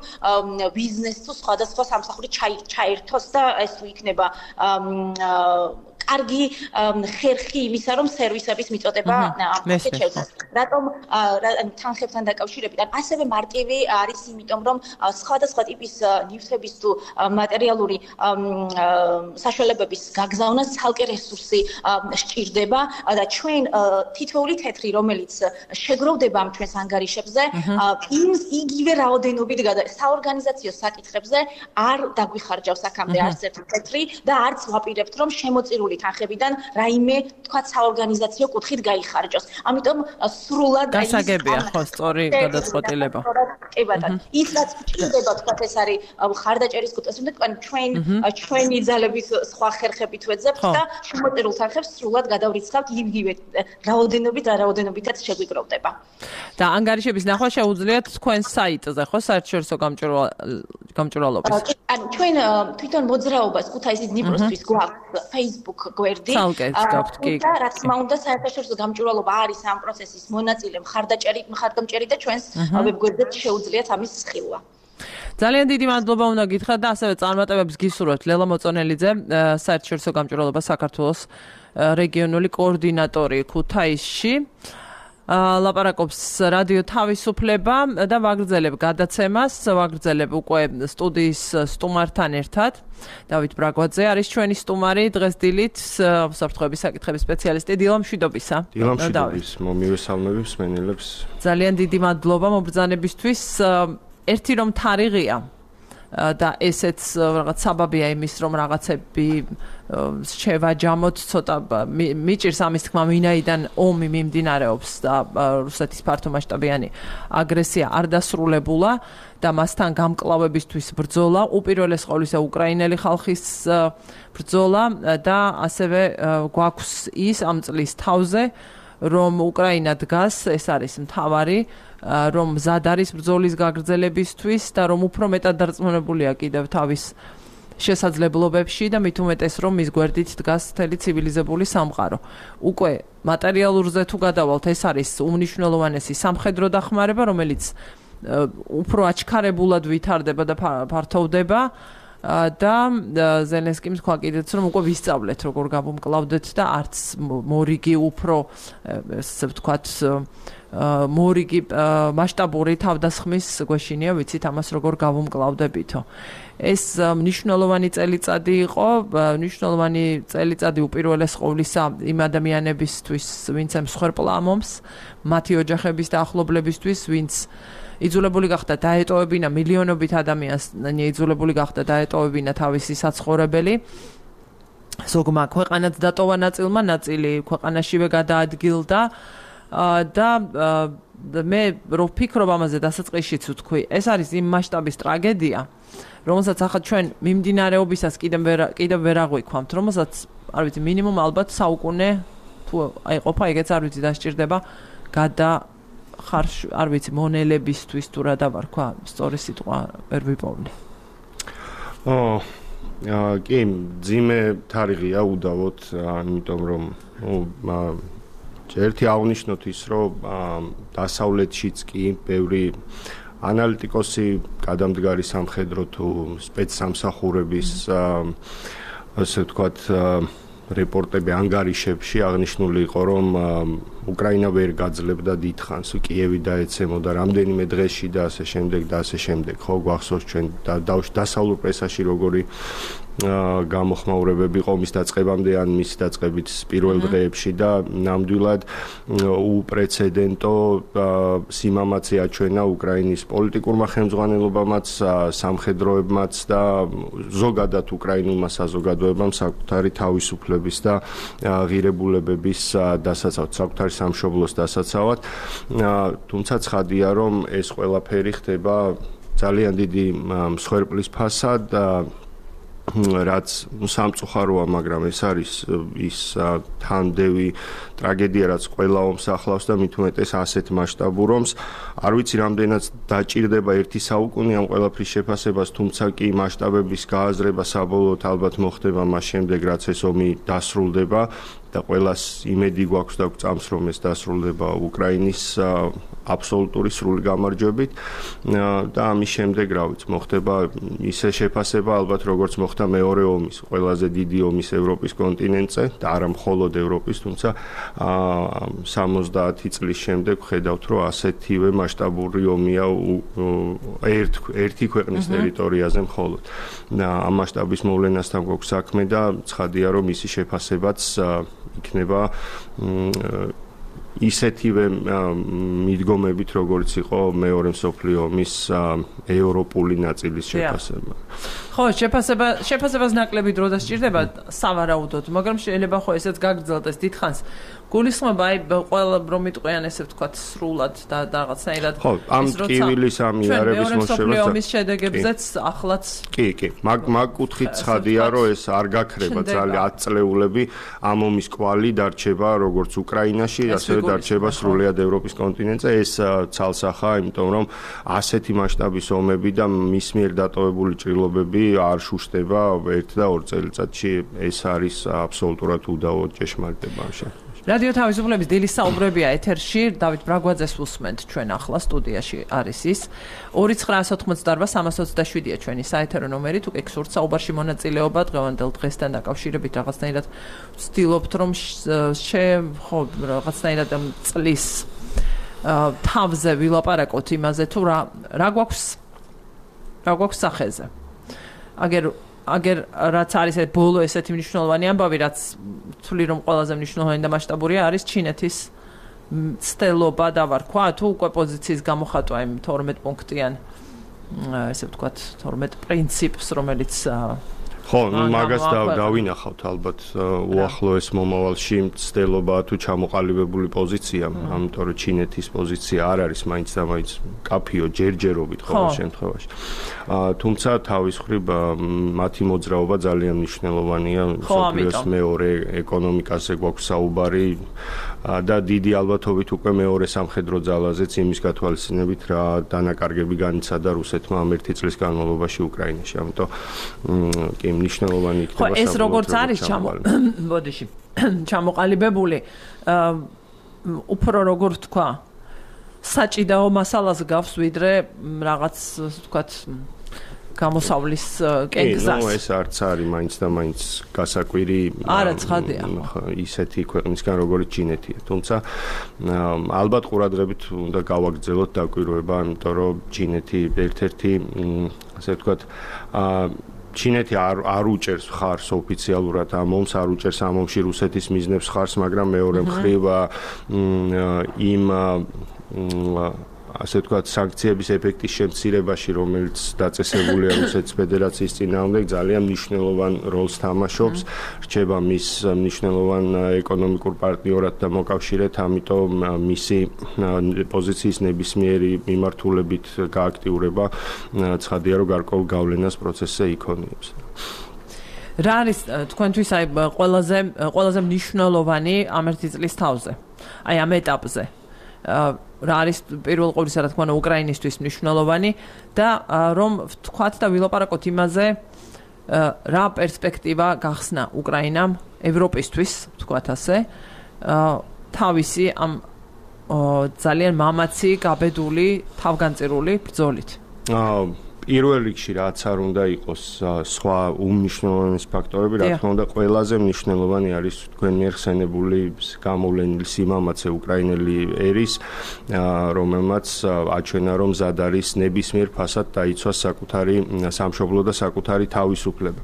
ბიზნესს თუ სხვადასხვა სამსახური ჩაერთოს და ეს თუ იქნება კარგი ხერხი იმისა, რომ სერვისების მიწოდება შეჩერდეს. რატომ თანხებთან დაკავშირებით? ასევე მარტივი არის იმიტომ, რომ სხვადასხვა ტიპის ნივთების თუ მატერიალური საშუალებების გაგზავნა ცალკე რესურსი სჭირდება და ჩვენ თითოეული თეთრი, რომელიც შეგროვდება ამ ჩვენს ანგარიშებზე, იმის იგივე რაოდენობით საორგანიზაციო საკითხებზე არ დაგვიხარჯავს აქამდე არც ერთი თეთრი და არც ვაპირებთ, რომ შემოწირული თანხებიდან რაიმე თქვა საორგანიზაციო კუთხით გაიხარჯოს. ამიტომ სრულად გასაგებია ხო სწორი გადაწყვეტილება. კი ბატონო. ის რაც გვჭირდება თქვა ეს არის ხარდაჭერის კუთხე, თუმცა ჩვენ ჩვენი ძალების სხვა ხერხებით ვეძებთ და შემოწირულ თანხებს სრულად გადავრიცხავთ იგივე რაოდენობით და რაოდენობითაც შეგვიკროვდება. და ანგარიშების ნახვა შეუძლიათ თქვენ საიტზე ხო საერთაშორისო გამჭვირვალობის. ანუ ჩვენ თვითონ მოძრაობას ქუთაისის დნიპროსთვის გვაქვს Facebook გვერდი. და რა თქმა უნდა საერთაშორისო გამჭვირვალობა არის ამ პროცესის მონაწილე მხარდაჭერი მხარდამჭერი და ჩვენს ვებგვერდზე შეუძლიათ ამის ხილვა. ძალიან დიდი მადლობა უნდა გითხრათ და ასევე წარმატებებს გისურვებთ ლელა მოწონელიძე, საერთაშორისო გამჭვირვალობა საქართველოს რეგიონული კოორდინატორი ქუთაისში. ლაპარაკობს რადიო თავისუფლება და ვაგრძელებ გადაცემას, ვაგრძელებ უკვე სტუდიის სტუმართან ერთად. დავით ბრაგვაძე არის ჩვენი სტუმარი დღეს დილით, საფრთხეების საკითხების სპეციალისტი. დილა მშვიდობისა. დილა მშვიდობის, მომივესალმები მსმენელებს. ძალიან დიდი მადლობა მობრძანებისთვის. ერთი რომ თარიღია და ესეც რაღაც საბაბია იმის, რომ რაღაცები შევაჯამოთ, ცოტა მიჭირს ამის თქმა, ვინაიდან ომი მიმდინარეობს და რუსეთის ფართომასშტაბიანი აგრესია არ დასრულებულა და მასთან გამკლავებისთვის ბრძოლა, უპირველეს ყოვლისა უკრაინელი ხალხის ბრძოლა და ასევე გვაქვს ის ამ წლის თავზე, რომ უკრაინა დგას, ეს არის მთავარი, რომ მზად არის ბრძოლის გაგრძელებისთვის და რომ უფრო მეტად დარწმუნებულია კიდევ თავის შესაძლებლობებში და მით უმეტეს რომ მის გვერდით დგას მთელი ცივილიზებული სამყარო. უკვე მატერიალურზე თუ გადავალთ, ეს არის უმნიშვნელოვანესი სამხედრო დახმარება, რომელიც უფრო აჩქარებულად ვითარდება და ფართოვდება. და ზელენსკიმ თქვა კიდეც რომ უკვე ვისწავლეთ როგორ გავუმკლავდეთ და არც მორიგი უფრო ესე ვთქვათ მორიგი მასშტაბური თავდასხმის გვეშინია ვიცით ამას როგორ გავუმკლავდებითო. ეს მნიშვნელოვანი წელიწადი იყო, მნიშვნელოვანი წელიწადი უპირველეს ყოვლისა იმ ადამიანებისთვის, ვინც მსხვერპლა ამ ომს, მათი ოჯახების და ახლობლებისთვის, ვინც იძულებული გახდა დაეტოვებინა მილიონობით ადამიანს, იძულებული გახდა დაეტოვებინა თავისი საცხოვრებელი. ზოგმა ქვეყანაც დატოვა ნაწილმა, ნაწილი ქვეყანაშივე გადაადგილდა და მე რო ვფიქრობ ამაზე დასაწყისშიც ვთქვი, ეს არის იმ მასშტაბის ტრაგედია, რომელსაც ახლა ჩვენ მიმდინარეობისას კიდევ ვერ კიდევ ვერ აღვიქვამთ, რომელსაც არ ვიცი, მინიმუმ ალბათ საუკუნე თუ აიყოფა, ეგეც არ ვიცი დასჭირდება გადა ხარშ არ ვიცი მონელებისთვის თუ რა დავარქვა, სწორი სიტყვა ვერ ვიპოვნე. ო, კი, ძიმე თარიღია უდავოდ, იმიტომ რომ ერთი აღნიშნოთ ის, რომ დასავლეთშიც კი ბევრი ანალიტიკოსი, გადამდგარი სამხედრო თუ სპეცსამსახურების ასე ვთქვათ რეპორტები ანგარიშებში აღნიშნული იყო, რომ უკრაინა ვერ გაძლებდა დიდხანს, კიევი დაეცემოდა რამდენიმე დღეში და ასე შემდეგ და ასე შემდეგ. ხო, გვახსოვს ჩვენ დასავლურ პრესაში როგორი გამოხმაურებები იყო მის დაწყებამდე ან მის დაწყებით პირველ დღეებში და ნამდვილად უპრეცედენტო სიმამაცე აჩვენა უკრაინის პოლიტიკურმა ხელმძღვანელობამაც, სამხედროებმაც და ზოგადად უკრაინულმა საზოგადოებამ საკუთარი თავისუფლების და ღირებულებების დასაცავად, საკუთარი სამშობლოს დასაცავად. თუმცა ცხადია, რომ ეს ყველაფერი ხდება ძალიან დიდი მსხვერპლის ფასად და რაც სამწუხაროა, მაგრამ ეს არის ის თანდევი ტრაგედია, რაც ყველა ომს ახლავს და მით უმეტეს ასეთ მასშტაბურ ომს. არ ვიცი, რამდენად დაჭირდება ერთი საუკუნე ამ ყველაფრის შეფასებას, თუმცა კი მასშტაბების გააზრება საბოლოოდ ალბათ მოხდება მას შემდეგ, რაც ეს ომი დასრულდება და ყველას იმედი გვაქვს და გვწამს, რომ ეს დასრულდება უკრაინის აბსოლუტური სრული გამარჯვებით და ამის შემდეგ, რა ვიცი, მოხდება ისე შეფასება ალბათ, როგორც მოხდა მეორე ომის, ყველაზე დიდი ომის ევროპის კონტინენტზე და არა მხოლოდ ევროპის, თუმცა სამოცდაათი წლის შემდეგ ვხედავთ, რომ ასეთივე მასშტაბური ომია ერთ ერთი ქვეყნის ტერიტორიაზე მხოლოდ. ამ მასშტაბის მოვლენასთან გვაქვს საქმე და ცხადია, რომ ისი შეფასებაც იქნება ისეთივე მიდგომებით, როგორც იყო მეორე მსოფლიო ომის ევროპული ნაწილის შეფასება. ხო, შეფასება შეფასებას ნაკლები დრო დასჭირდება სავარაუდოდ, მაგრამ შეიძლება ხო ესეც გაგრძელდეს დიდხანს. გულისხმობა აი ყველა რომ მიტყვიან ესე ვთქვათ სრულად და რაღაცნაირად ხო, ამ ტკივილის ამიარების მოსწრებას ომის შედეგებზეც ახლაც კი, კი, მაგ მაგ კუთხით ცხადია, რომ ეს არ გაქრება ძალიან ათ წლეულები, ამ ომის კვალი დარჩება როგორც უკრაინაში, ასევე დარჩება სრულიად ევროპის კონტინენტზე. ეს ცალსახაა, იმიტომ რომ ასეთი მასშტაბის ომები და მის მიერ დატოვებული ჭრილობები არ შუშტება ერთ და ორ წელიწადში. ეს არის აბსოლუტურად უდავო ჭეშმარიტება ამ შემთხვევაში. რადიო თავისუფლების დილის საუბრებია ეთერში. დავით ბრაგვაძეს უსმენთ ჩვენ ახლა სტუდიაში არის ის. ორი ცხრა ათოთხმოცდაარბა სამას ოცდაშვიდია ჩვენი საეთერო ნომერი. თუ კი გსურთ საუბარში მონაწილეობა დღევანდელ დღესთან დაკავშირებით რაღაცნაირად ვცდილობთ რომ შე ხო რაღაცნაირად წლის თავზე ვილაპარაკოთ იმაზე თუ რა რა გვაქვს რა გვაქვს სახეზე. აგერ აგერ რაც არის ეს ბოლო ესეთი მნიშვნელოვანი ამბავი, რაც თვლი რომ ყველაზე მნიშვნელოვანი და მასშტაბურია არის ჩინეთის ცდელობა და ვარქვა თუ უკვე პოზიციის გამოხატვა იმ თორმეტ პუნქტიან ესე ვთქვათ თორმეტ პრინციპს, რომელიც ხო, მაგას დავინახავთ ალბათ უახლოეს მომავალში ცდელობა თუ ჩამოყალიბებული პოზიცია, ამიტომ რომ ჩინეთის პოზიცია არ არის მაინც და მაინც კაფიო ჯერჯერობით ყოველ შემთხვევაში. თუმცა თავის მხრივ მათი მოძრაობა ძალიან მნიშვნელოვანია მსოფლიოს მეორე ეკონომიკაზე გვაქვს საუბარი და დიდი ალბათობით უკვე მეორე სამხედრო ძალაზეც იმის გათვალისწინებით რა დანაკარგები განიცადა რუსეთმა ამ ერთი წლის განმავლობაში უკრაინაში. ამიტომ კი მნიშვნელოვანი იქნება საბოლოოდ. ხო, ეს როგორც არის ბოდიში ჩამოყალიბებული უფრო როგორ თქვა საჭიდაო მასალას გავს ვიდრე რაღაც ვთქვათ გამოსავლის კენგზას. ნუ ეს არც არის მაინც და მაინც გასაკვირი არა ცხადია ისეთი ქვეყნისგან როგორც ჩინეთია. თუმცა ალბათ ყურადღებით უნდა გავაგრძელოთ დაკვირვება, იმიტომ რომ ჩინეთი ერთ-ერთი ასე ვთქვათ ჩინეთი არ არ უჭერს ხარს ოფიციალურად ამ ომს, არ უჭერს ამ ომში რუსეთის მიზნებს ხარს, მაგრამ მეორე მხრივ იმ ასე ვთქვათ სანქციების ეფექტის შემცირებაში, რომელიც დაწესებულია რუსეთის ფედერაციის წინააღმდეგ, ძალიან მნიშვნელოვან როლს თამაშობს. რჩება მის მნიშვნელოვან ეკონომიკურ პარტნიორად და მოკავშირედ, ამიტომ მისი პოზიციის ნებისმიერი მიმართულებით გააქტიურება ცხადია, რომ გარკვეულ გავლენას პროცესზე იქონიებს. რა არის თქვენთვის აი ყველაზე ყველაზე მნიშვნელოვანი ამ ერთი წლის თავზე? აი ამ ეტაპზე. რა არის პირველ ყოვლისა რა თქმა უნდა უკრაინისთვის მნიშვნელოვანი და რომ ვთქვათ და ვილაპარაკოთ იმაზე რა პერსპექტივა გახსნა უკრაინამ ევროპისთვის, ვთქვათ ასე, თავისი ამ ძალიან მამაცი, გაბედული, თავგანწირული ბრძოლით. პირველ რიგში რაც არ უნდა იყოს სხვა უმნიშვნელოვანესი ფაქტორები, რა თქმა უნდა, ყველაზე მნიშვნელოვანი არის თქვენ მიერ ხსენებული გამოვლენილი სიმამაცე უკრაინელი ერის, რომელმაც აჩვენა, რომ მზად არის ნებისმიერ ფასად დაიცვას საკუთარი სამშობლო და საკუთარი თავისუფლება.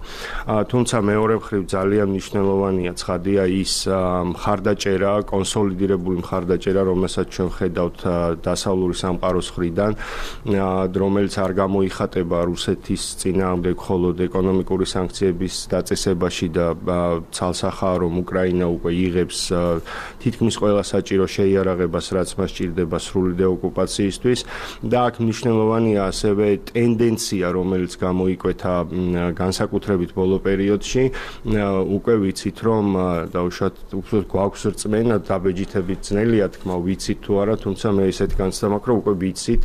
თუმცა მეორე მხრივ ძალიან მნიშვნელოვანია ცხადია ის მხარდაჭერა, კონსოლიდირებული მხარდაჭერა, რომელსაც ჩვენ ხედავთ დასავლური სამყაროს მხრიდან, რომელიც არ გამოიხატება რუსეთის წინააღმდეგ მხოლოდ ეკონომიკური სანქციების დაწესებაში და ცალსახაა, რომ უკრაინა უკვე იღებს თითქმის ყველა საჭირო შეიარაღებას, რაც მას სჭირდება სრული დეოკუპაციისთვის და აქ მნიშვნელოვანია ასევე ტენდენცია, რომელიც გამოიკვეთა განსაკუთრებით ბოლო პერიოდში. უკვე ვიცით, რომ დაუშვათ უფრო გვაქვს რწმენა, დაბეჯითებით ძნელია თქმა, ვიცით თუ არა, თუმცა მე ესეთ განცდა მაქვს, რომ უკვე ვიცით,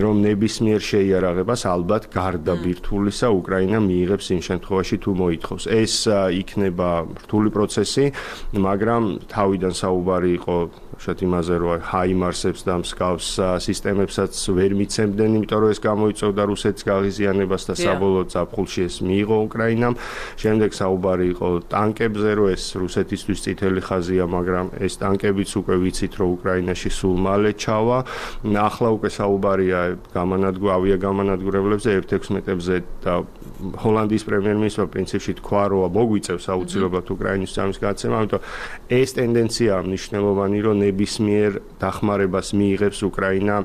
რომ ნებისმიერ შეიარაღებას ალბათ გარდა ბირთვულისა უკრაინა მიიღებს იმ შემთხვევაში თუ მოითხოვს. ეს იქნება რთული პროცესი, მაგრამ თავიდან საუბარი იყო შეთ იმაზე, რომ ჰაიმარსებს და მსგავს სისტემებსაც ვერ მიცემდნენ, იმიტომ რომ ეს გამოიწვევდა რუსეთის გაღიზიანებას და საბოლოოდ ზაფხულში ეს მიიღო უკრაინამ. შემდეგ საუბარი იყო ტანკებზე, რომ ეს რუსეთისთვის წითელი ხაზია, მაგრამ ეს ტანკებიც უკვე ვიცით, რომ უკრაინაში სულ მალე ჩავა. ახლა უკვე საუბარია გამანადგურ ავიაგამანადგურებლებზე ერთ ექვსმეტებზე და ჰოლანდიის პრემიერ-მინისტრმა პრინციპში თქვა, რომ მოგვიწევს აუცილებლად უკრაინის სამის გადაცემა, ამიტომ ეს ტენდენცია მნიშვნელოვანი, რომ ნებისმიერ დახმარებას მიიღებს უკრაინა,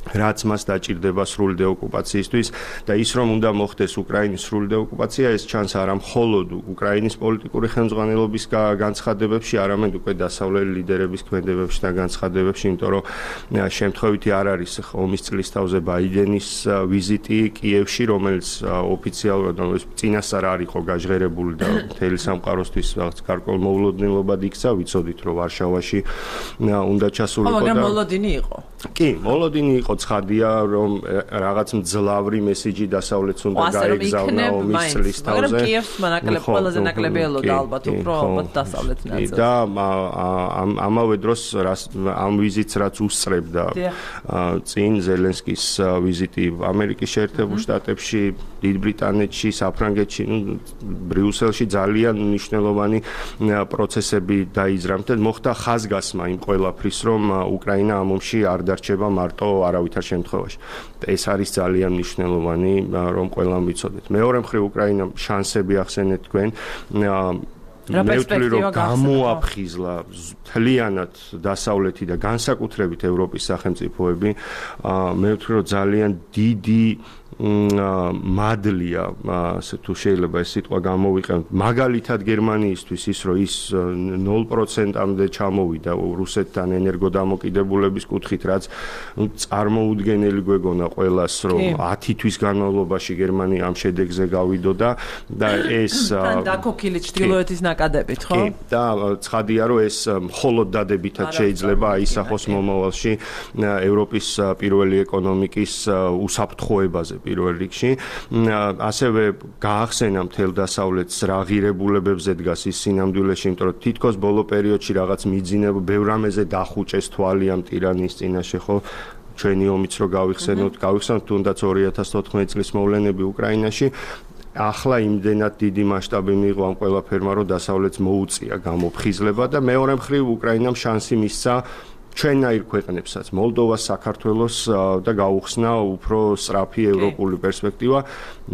რაც მას დაჭირდება სრული დეოკუპაციისთვის და ის რომ უნდა მოხდეს უკრაინის სრული დეოკუპაცია, ეს ჩანს არა მხოლოდ უკრაინის პოლიტიკური ხელმძღვანელობის განცხადებებში, არამედ უკვე დასავლელი ლიდერების ქმედებებში და განცხადებებში, იმიტომ რომ შემთხვევითი არ არის ომის წლის თავზე ბაიდენის ვიზიტი კიევში, რომელიც ოფიციალურად წინასწარ არ იყო გაჟღერებული და მთელი სამყაროსთვის რაღაც გარკვეულ მოულოდნელობად იქცა, ვიცოდით რომ ვარშავაში უნდა ჩასულიყო და მაგრამ მოლოდინი იყო. კი, მოლოდინი იყო ცხადია, რომ რაღაც მძლავრი მესიჯი დასავლეთს უნდა გაიგზავნა ომის წლის თავზე. მაგრამ კიევს მანაკლებ ყველაზე ნაკლები ელოდა ალბათ უფრო ალბათ დასავლეთ ნაწილს. და ამავე დროს ამ ვიზიტს რაც უსწრებდა წინ ზელენსკის ვიზიტი ამერიკის შეერთებულ შტატებში, დიდ ბრიტანეთში, საფრანგეთში, ბრიუსელში ძალიან მნიშვნელოვანი პროცესები დაიზრამდა. მოხდა ხაზგასმა იმ ყველაფრის, რომ უკრაინა ამ ომში არ დარჩება მარტო არავითარ შემთხვევაში. ეს არის ძალიან მნიშვნელოვანი, რომ ყველამ ვიცოდეთ. მეორე მხრივ უკრაინამ შანსები ახსენეთ თქვენ. მე ვთვლი, რომ გამოაფხიზლა მთლიანად დასავლეთი და განსაკუთრებით ევროპის სახელმწიფოები. მე ვთვლი, რომ ძალიან დიდი მადლია, ასე თუ შეიძლება ეს სიტყვა გამოვიყენოთ, მაგალითად გერმანიისთვის ის, რომ ის ნულ პროცენტამდე ჩამოვიდა რუსეთთან ენერგოდამოკიდებულების კუთხით, რაც წარმოუდგენელი გვეგონა ყველას, რომ ათი თვის განმავლობაში გერმანია ამ შედეგზე გავიდოდა და ეს დაკოქილი ჩრდილოეთის ნაკადებით, ხო? კი, და ცხადია, რომ ეს მხოლოდ დადებითად შეიძლება აისახოს მომავალში ევროპის პირველი ეკონომიკის უსაფრთხოებაზე პირველ რიგში. ასევე გაახსენა მთელ დასავლეთს რა ღირებულებებზე დგას ის სინამდვილეში, იმიტომ რომ თითქოს ბოლო პერიოდში რაღაც მიძინებულ ბევრ რამეზე დახუჭეს თვალი ამ ტირანის წინაშე, ხო? ჩვენი ომიც რო გავიხსენოთ, გავიხსენოთ თუნდაც ორი ათას თოთხმეტი წლის მოვლენები უკრაინაში. ახლა იმდენად დიდი მასშტაბი მიიღო ამ ყველაფერმა, რომ დასავლეთს მოუწია გამოფხიზლება და მეორე მხრივ უკრაინამ შანსი მისცა ჩვენაირ ქვეყნებსაც, მოლდოვას, საქართველოს და გაუხსნა უფრო სწრაფი ევროპული პერსპექტივა.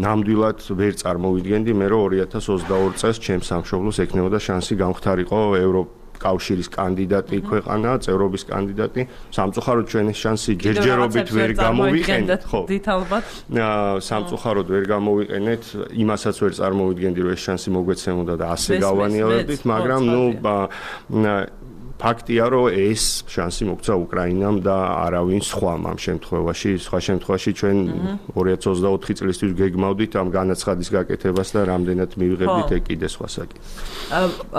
ნამდვილად ვერ წარმოვიდგენდი მე, რომ ორი ათას ოცდაორი წელს ჩემს სამშობლოს ექნებოდა შანსი გამختارიყო ევროპის კავშირის კანდიდატი ქვეყანა, წევრობის კანდიდატი. სამწუხაროდ ჩვენ ეს შანსი ჯერჯერობით ვერ გამოვიყენეთ, ხო? დით ალბათ. სამწუხაროდ ვერ გამოვიყენეთ, იმასაც ვერ წარმოვიდგენდი, რომ ეს შანსი მოგვეცემოდა და ასე გავანილებდით, მაგრამ ნუ ფაქტია, რომ ეს შანსი მოგცა უკრაინამ და არავინ სხვამ ამ შემთხვევაში, სხვა შემთხვევაში ჩვენ ორი ათას ოცდაოთხი წლისთვის გეგმავდით ამ განაცხადის გაკეთებას და რამდენად მივიღებდით ეგ კიდე სხვა საკითხი.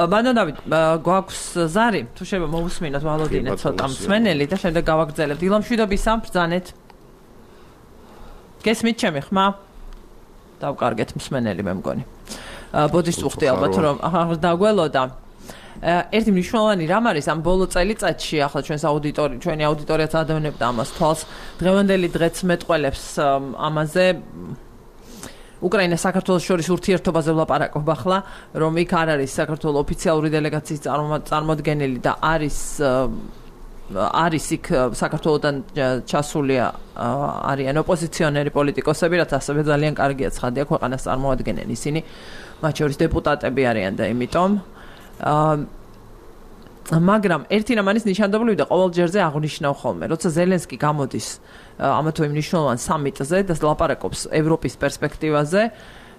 ბანდა დავით, გვაქვს ზარი, თუ შეიძლება მოусმინოთ ვალოდინე ცოტა მსმენელი და შემდეგ გავაგრძელებთ. დილამშვიდობისა, ბრძანეთ. გესმით ჩემი ხმა? დავკარგეთ მსმენელი მე მგონი. ბოდიშს უხდი ალბათ რომ ახლა დაგველოდა. ერთი მნიშვნელოვანი რამ არის ამ ბოლო წელიწადში, ახლა ჩვენს აუდიტორი, ჩვენი აუდიტორიაც ადევნებდა ამას თვალს. დღევანდელი დღეც მეტყველებს ამაზე უკრაინას საქართველოს შორის ურთიერთობაზე ვლაპარაკობ ახლა, რომ იქ არ არის საქართველოს ოფიციალური დელეგაციის წარმოადგენელი და არის არის იქ საქართველოსთან ჩასული არიან ოპოზიციონერი პოლიტიკოსები, რაც ასევე ძალიან კარგია ცხადია, ქვეყანას წარმოადგენენ ისინი, მათ შორის დეპუტატები არიან და იმიტომ მაგრამ ერთი რამ არის ნიშანდობლივი და ყოველ ჯერზე აღნიშნავ ხოლმე, როცა ზელენსკი გამოდის ამა თუ იმ მნიშვნელოვან სამიტზე და ლაპარაკობს ევროპის პერსპექტივაზე,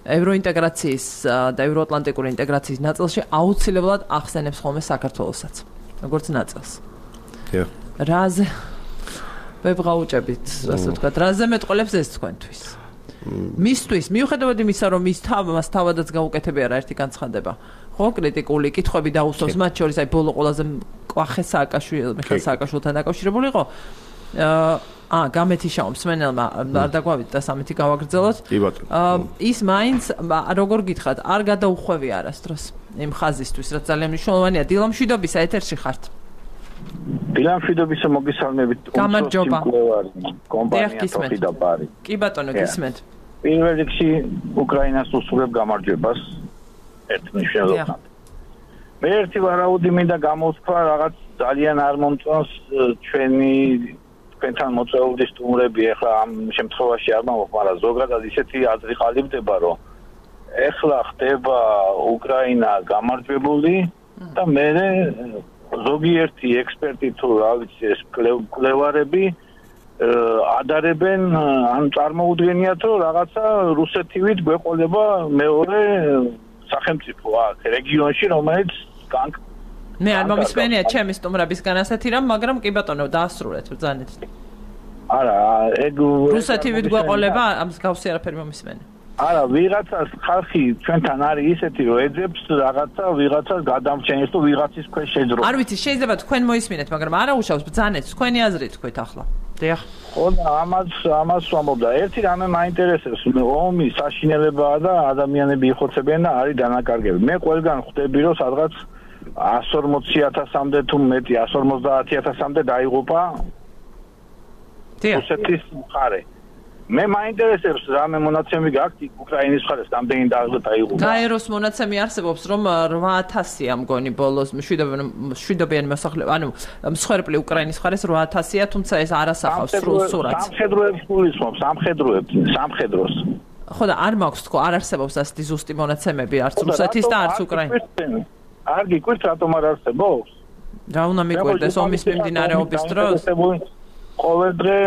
ევროინტეგრაციის და ევროატლანტიკური ინტეგრაციის ნაწილში აუცილებლად ახსენებს ხოლმე საქართველოსაც, როგორც ნაწილს. რაზე ვებრაუჭებით, ასე ვთქვათ, რაზე მეტყოლებს ეს თქვენთვის? მისთვის, მიუხედავად იმისა, რომ ის თავმას თავადაც გაუკეთებია რა ერთი განცხადება. ხო, კრიტიკული კითხვები დაუსვავს, მათ შორის აი ბოლო ყველაზე კვახე სააკაშვილი, მიხეილ სააკაშვილთან დაკავშირებული იყო. აა, გამეთიშაო მსმენელმა არ დაგვავით და სამეთი გავაგრძელოთ. ის მაინც როგორ გითხრათ, არ გადაუხვევი არასდროს იმ ხაზისთვის, რაც ძალიან მნიშვნელოვანია. დილა მშვიდობისა ეთერში ხართ. დილა მშვიდობისა მოგესალმებით. გამარჯობა. კომპანია თოფი და ბარი. კი ბატონო, გისმენთ. პირველ რიგში უკრაინას უსურვებ გამარჯვებას. ერთ მნიშვნელოვნად. მე ერთი ვარაუდი მინდა გამოვთქვა, რაღაც ძალიან არ მომწონს ჩვენი თქვენთან მოწვეული სტუმრები, ეხლა ამ შემთხვევაში არ მომხ, მაგრამ ზოგადად ისეთი აზრი ყალიბდება, რომ ეხლა ხდება უკრაინა გამარჯვებული და მე ზოგიერთი ექსპერტი თუ რა ვიცი ეს კვლევარები ადარებენ ან წარმოუდგენიათ, რომ რაღაცა რუსეთივით გვეყოლება მეორე სახელმწიფო აქ რეგიონში, რომელიც მე არ მომისმენია ჩემი სტუმრებისგან ასეთი რამ, მაგრამ კი ბატონო, დაასრულეთ ბრძანეთ. არა, ეგ რუსეთივით გვეყოლება, ამის გავსი არაფერი მომისმენია. არა, ვიღაცას ხალხი ჩვენთან არის ისეთი, რომ ეძებს რაღაცა ვიღაცას გადამრჩენს თუ ვიღაცის ქვეშ შეძრო. არ ვიცი, შეიძლება თქვენ მოისმინეთ, მაგრამ არა უშავს ბრძანეთ, თქვენი აზრი თქვით ახლა. დიახ. ხო, ამას ამას ვამბობდა. ერთი რამე მაინტერესებს, ომი საშინელებაა და ადამიანები იხოცებიან და არის დანაკარგები. მე ყველგან ხვდები, რომ სადღაც εκατს ორმოცი ათასამდე თუ მეტი εκατს ორმოცდაათი ათასამდე დაიღუპა რუსეთის მხარე. მე მაინტერესებს რამე მონაცემი გაქვთ უკრაინის მხარეს რამდენი დაიღუპა. გაეროს მონაცემი არსებობს, რომ რვა ათასია მგონი ბოლოს მშვიდობიანი მოსახლეობა, ანუ მსხვერპლი უკრაინის მხარეს რვა ათასია, თუმცა ეს არ ასახავს სრულ სურათს. სამხედროებს გულისხმობს, სამხედროებს, სამხედროს. ხო და არ მაქვს თქო, არ არსებობს ასეთი ზუსტი მონაცემები, არც რუსეთის და არც უკრაინის. არ გიკვირთ რატომ არ არსებობს? რა უნდა მიკვირდეს ომის მიმდინარეობის დროს? ყოველ დღე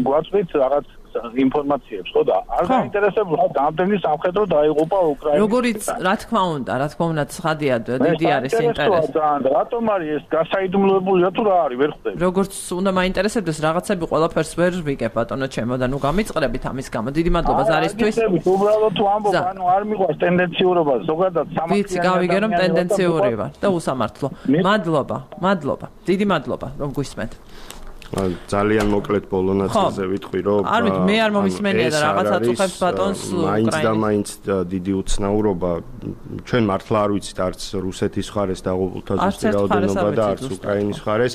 გვაწვით რაღაც ინფორმაციებს, ხო და არ გაინტერესებს რა რამდენი სამხედრო დაიღუპა უკრაინაში. როგორიც რა თქმა უნდა, რა თქმა უნდა, ცხადია, დიდი არის ინტერესი. რატომ არის ეს გასაიდუმლოებულია თუ რა არის, ვერ ხვდები. როგორც უნდა მაინტერესებდეს რაღაცები ყველაფერს ვერ ვიგებ ბატონო ჩემო და ნუ გამიწყრებით ამის გამო. დიდი მადლობა ზარისთვის. უბრალოდ თუ ამბობ, ანუ არ მიყვარს ტენდენციურობა, ზოგადად სამართლიანი. ვიცი, გავიგე რომ ტენდენციური ვარ და უსამართლო. მადლობა, მადლობა. დიდი მადლობა რომ გვისმენთ. ძალიან მოკლედ ბოლო ნაწილზე ვიტყვი, რომ არ ვიცი, მე არ მომისმენია და რაღაცა წუხებს ბატონს უკრაინას. მაინც და მაინც დიდი უცნაურობა, ჩვენ მართლა არ ვიცით არც რუსეთის მხარეს დაღუპულთა ზუსტი რაოდენობა და არც უკრაინის მხარეს.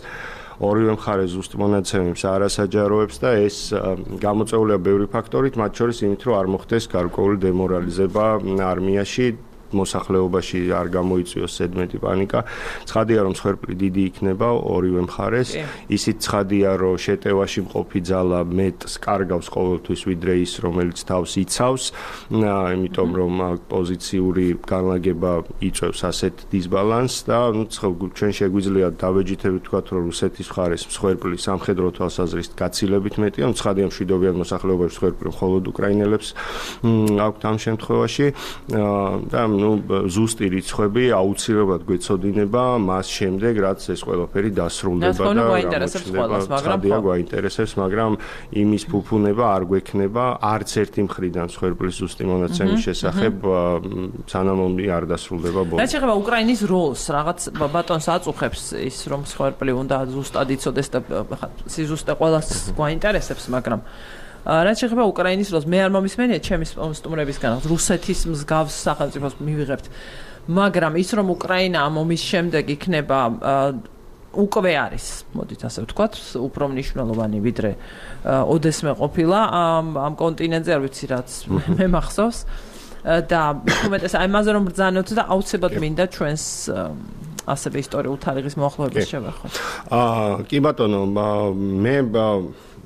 ორივე მხარე ზუსტ მონაცემებს არ ასაჯაროებს და ეს გამოწვეულია ბევრი ფაქტორით, მათ შორის იმით, რომ არ მოხდეს გარკვეული დემორალიზება არმიაში. მოსახლეობაში არ გამოიწვიოს ზედმეტი პანიკა. ცხადია, რომ მსხვერპლი დიდი იქნება ორივე მხარეს. ისიც ცხადია, რომ შეტევაში მყოფი ძალა მეტს კარგავს ყოველთვის ვიდრე ის, რომელიც თავს იცავს, იმიტომ რომ პოზიციური განლაგება იწვევს ასეთ დისბალანსს და ჩვენ შეგვიძლია დავეჯითებით ვთქვათ, რომ რუსეთის მხარეს მსხვერპლი სამხედრო თვალსაზრისით გაცილებით მეტია, ცხადია მშვიდობიან მოსახლეობაში მსხვერპლი მხოლოდ უკრაინელებს აქვთ ამ შემთხვევაში და ну ზუსტი რიცხვები აუცილებლად გვეცოდინება მას შემდეგ რაც ეს ყველაფერი დასრულდება და მაგრამ გვაინტერესებს მაგრამ იმის ფუფუნება არ გვექნება არც ერთი მხრიდან მსხვერპლის ზუსტი მონაცემის შესახებ სანამ ომი არ დასრულდება ბოლოს. რაც შეეხება უკრაინის როლს რაღაც ბატონს აწუხებს ის რომ მსხვერპლი უნდა ზუსტად იცოდეს და სიზუსტე ყველას გვაინტერესებს მაგრამ რაც შეეხება უკრაინის როლს მე არ მომისმენია ჩემი სტუმრებისგან რუსეთის მსგავს სახელმწიფოს მივიღებთ მაგრამ ის რომ უკრაინა ამ ომის შემდეგ იქნება უკვე არის, მოდით ასე ვთქვათ, უფრო მნიშვნელოვანი ვიდრე ოდესმე ყოფილა ამ ამ კონტინენტზე, არ ვიცი რაც მე მახსოვს და უმეტეს აი ამაზე რომ ბრძანოთ და აუცილებლად მინდა ჩვენს ასევე ისტორიულ თარიღის მოახლოებას შევეხოთ. აა კი ბატონო, მე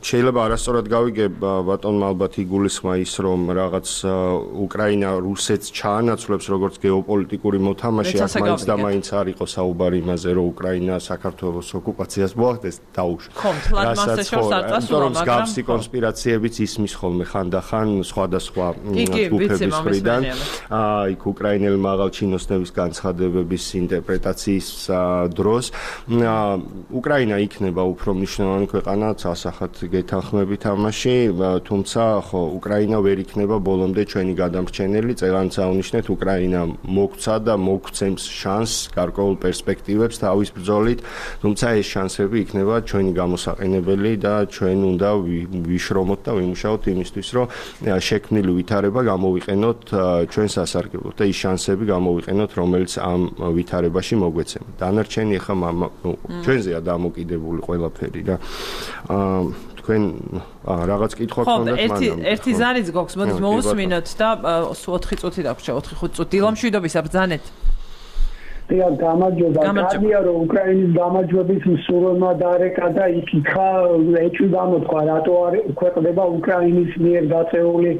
შეიძლება არასწორად გავიგე ბატონმა ალბათ იგულისხმა ის რომ რაღაც უკრაინა რუსეთს ჩაანაცვლებს როგორც გეოპოლიტიკური მოთამაშე, აქ მაინც და მაინც არ იყო საუბარი იმაზე რომ უკრაინა საქართველოს ოკუპაციას მოახდენს დაუშვათ. ხო, თლად მასე შორს არ წასულა, მაგრამ მსგავსი კონსპირაციებიც ისმის ხოლმე ხანდახან სხვადასხვა ჯგუფების მხრიდან. აა იქ უკრაინელი მაღალჩინოსნების განცხადებების ინტერპრეტაციის დროს უკრაინა იქნება უფრო მნიშვნელოვანი ქვეყანა ასახად გეთანხმებით ამაში, თუმცა ხო უკრაინა ვერ იქნება ბოლომდე ჩვენი გადამრჩენელი, წელს აუნიშნეთ უკრაინა მოგცა და მოგცემს შანსს, გარკვეულ პერსპექტივებს თავის ბრძოლით, თუმცა ეს შანსები იქნება ჩვენი გამოსაყენებელი და ჩვენ უნდა ვიშრომოთ და ვიმუშაოთ იმისთვის, რომ შექმნილი ვითარება გამოვიყენოთ ჩვენ სასარგებლოდ და ის შანსები გამოვიყენოთ, რომელიც ამ ვითარებაში მოგვეცემა. დანარჩენი ახლა ჩვენზეა დამოკიდებული ყველაფერი რა. აა თქვენ რაღაც კითხვა გქონდათ მანამ. ხო, ერთი ერთი ზარიც გვაქვს, მოდით მოусმინოთ და ოთხი წუთი დაგვრჩა, ოთხი ხუთი წუთი. დილამშვიდობის აბრძანეთ. დიახ, გამარჯობა. კარგია რომ უკრაინის გამარჯვების მსურველმა დარეკა და იქითხა ეჭვი გამოთქვა, რატო არ ქვეყნდება უკრაინის მიერ გაწეული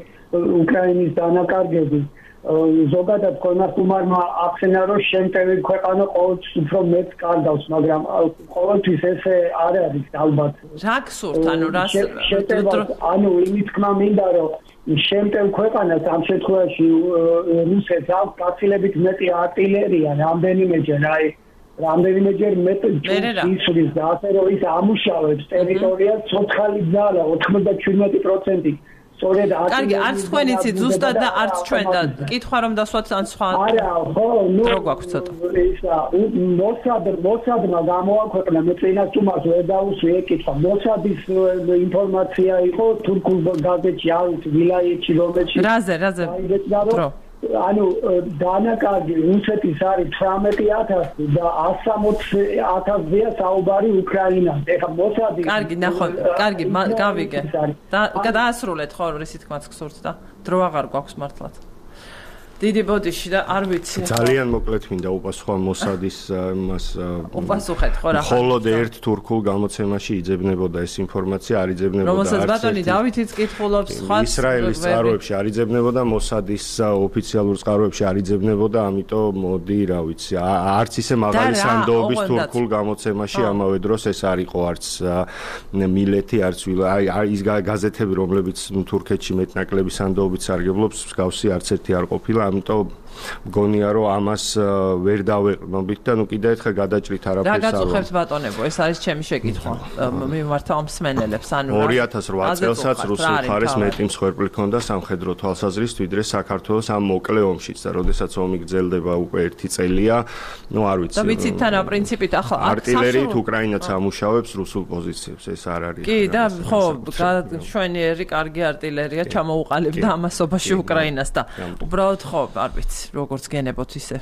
უკრაინის დანაკარგები. ზოგადად კონასტუმარმა ახსენა რომ შემტევი ქვეყანა ყოველთვის უფრო მეტ კარგავს, მაგრამ ყოველთვის ესე არ არის ალბათ. რა გსურთ, ანუ რას ანუ იმით თქმა მინდა რომ შემტევ ქვეყანას ამ შემთხვევაში რუსეთს აქვს გაცილებით მეტი артиლერია, რამდენიმეჯერ აი რამდენიმეჯერ მეტი ისრის და ასე რომ ის ამუშავებს ტერიტორიას ცოცხალი ძალა ოთხმოცდაშვიდმეტი პროცენტი. კარგი, არც თქვენ იცით ზუსტად და არც ჩვენ და კითხვა რომ დასვათ ან სხვა. არა, ხო, ნუ რო გვაქვს ცოტა. ისა, მოსად, მოსადმა გამოაქვეყნა მე წინას თუმას ვერ დავუსვი ეკითხა. მოსადის ინფორმაცია იყო თურქულ გაზეთში, არ ვიცი, ვილაიეთში რომელში. რაზე, რაზე? დრო. ანუ დანაკარგი რუსეთის არის თვრამეტი ათასი და ასამოცი ათასია საუბარი უკრაინას. ეხლა მოსადი. კარგი, ნახო, კარგი, გავიგე. და გადაასრულეთ ხო, რისი თქმაც გსურთ და დრო აღარ გვაქვს მართლაც. დიდი ბოდიში და არ ვიცი. ძალიან მოკლედ მინდა უპასუხო მოსადის მას უპასუხეთ ხო რა. მხოლოდ ერთ თურქულ გამოცემაში იძებნებოდა ეს ინფორმაცია, არ იძებნებოდა. რომელსაც ბატონი დავითიც კითხულობს, სხვა ისრაელის წყაროებში არ იძებნებოდა, მოსადის ოფიციალურ წყაროებში არ იძებნებოდა, ამიტომ მოდი, რა ვიცი, არც ისე მაღალი სანდოობის თურქულ გამოცემაში ამავე დროს ეს არ იყო არც მილეთი, არც აი ის გაზეთები, რომლებიც თურქეთში მეტნაკლები სანდოობით სარგებლობს, მსგავსი არც ერთი არ ყოფილა. ამიტომ მგონია რომ ამას ვერ დავეყრდნობით და ნუ კიდე ერთხელ გადაჭრით არაფერს არ. რა გაწუხებთ ბატონებო, ეს არის ჩემი შეკითხვა. მიმართავ მსმენელებს, ანუ ორი ათას რვა წელსაც რუსულ მხარეს მეტი მსხვერპლი ჰქონდა სამხედრო თვალსაზრისით, ვიდრე საქართველოს ამ მოკლე ომშიც და როდესაც ომი გრძელდება უკვე ერთი წელია, ნუ არ ვიცი. და ვიცით თან პრინციპით ახლა артиლერიით უკრაინაც ამუშავებს რუსულ პოზიციებს, ეს არ არის. კი და ხო, შვენიერი კარგი артиლერია ჩამოუყალიბდა ამასობაში უკრაინას და უბრალოდ ხო, არ ვიცი. როგორც გენებოთ ისე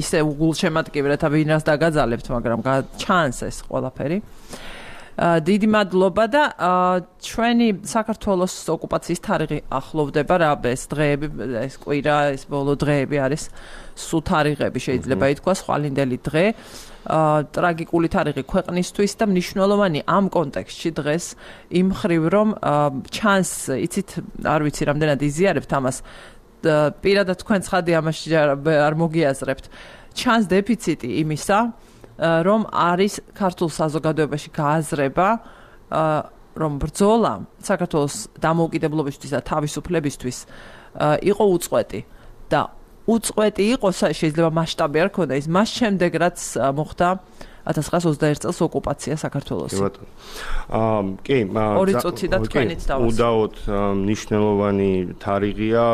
ისე უგულშემატკივრად ვინას დაგაძალებთ, მაგრამ ჩანს ეს ყველაფერი. დიდი მადლობა და ჩვენი საქართველოს ოკუპაციის თარიღი ახლოვდება რა, ეს დღეები, ეს კვირა, ეს ბოლო დღეები არის სულ თარიღები შეიძლება ითქვას, ხვალინდელი დღე. ტრაგიკული თარიღი ქვეყნისთვის და მნიშვნელოვანი ამ კონტექსტში დღეს იმ ხრივ რომ ჩანს, იცით, არ ვიცი რამდენად იზიარებთ ამას, პირადად თქვენ ცხადი ამაში არ მოგიაზრებთ. ჩანს დეფიციტი იმისა, რომ არის ქართულ საზოგადოებაში გააზრება, რომ ბრძოლა საქართველოს დამოუკიდებლობისთვის და თავისუფლებისთვის იყო უწყვეტი და უწყვეტი იყო, შეიძლება მასშტაბი არ ქონდა ის მას შემდეგ რაც მოხდა ათას ცხრაას ოცდაერთ წელს ოკუპაცია საქართველოს. კი ბატონო. აა კი, ორი წუთი და თქვენიც დავას. უდაოდ მნიშვნელოვანი თარიღია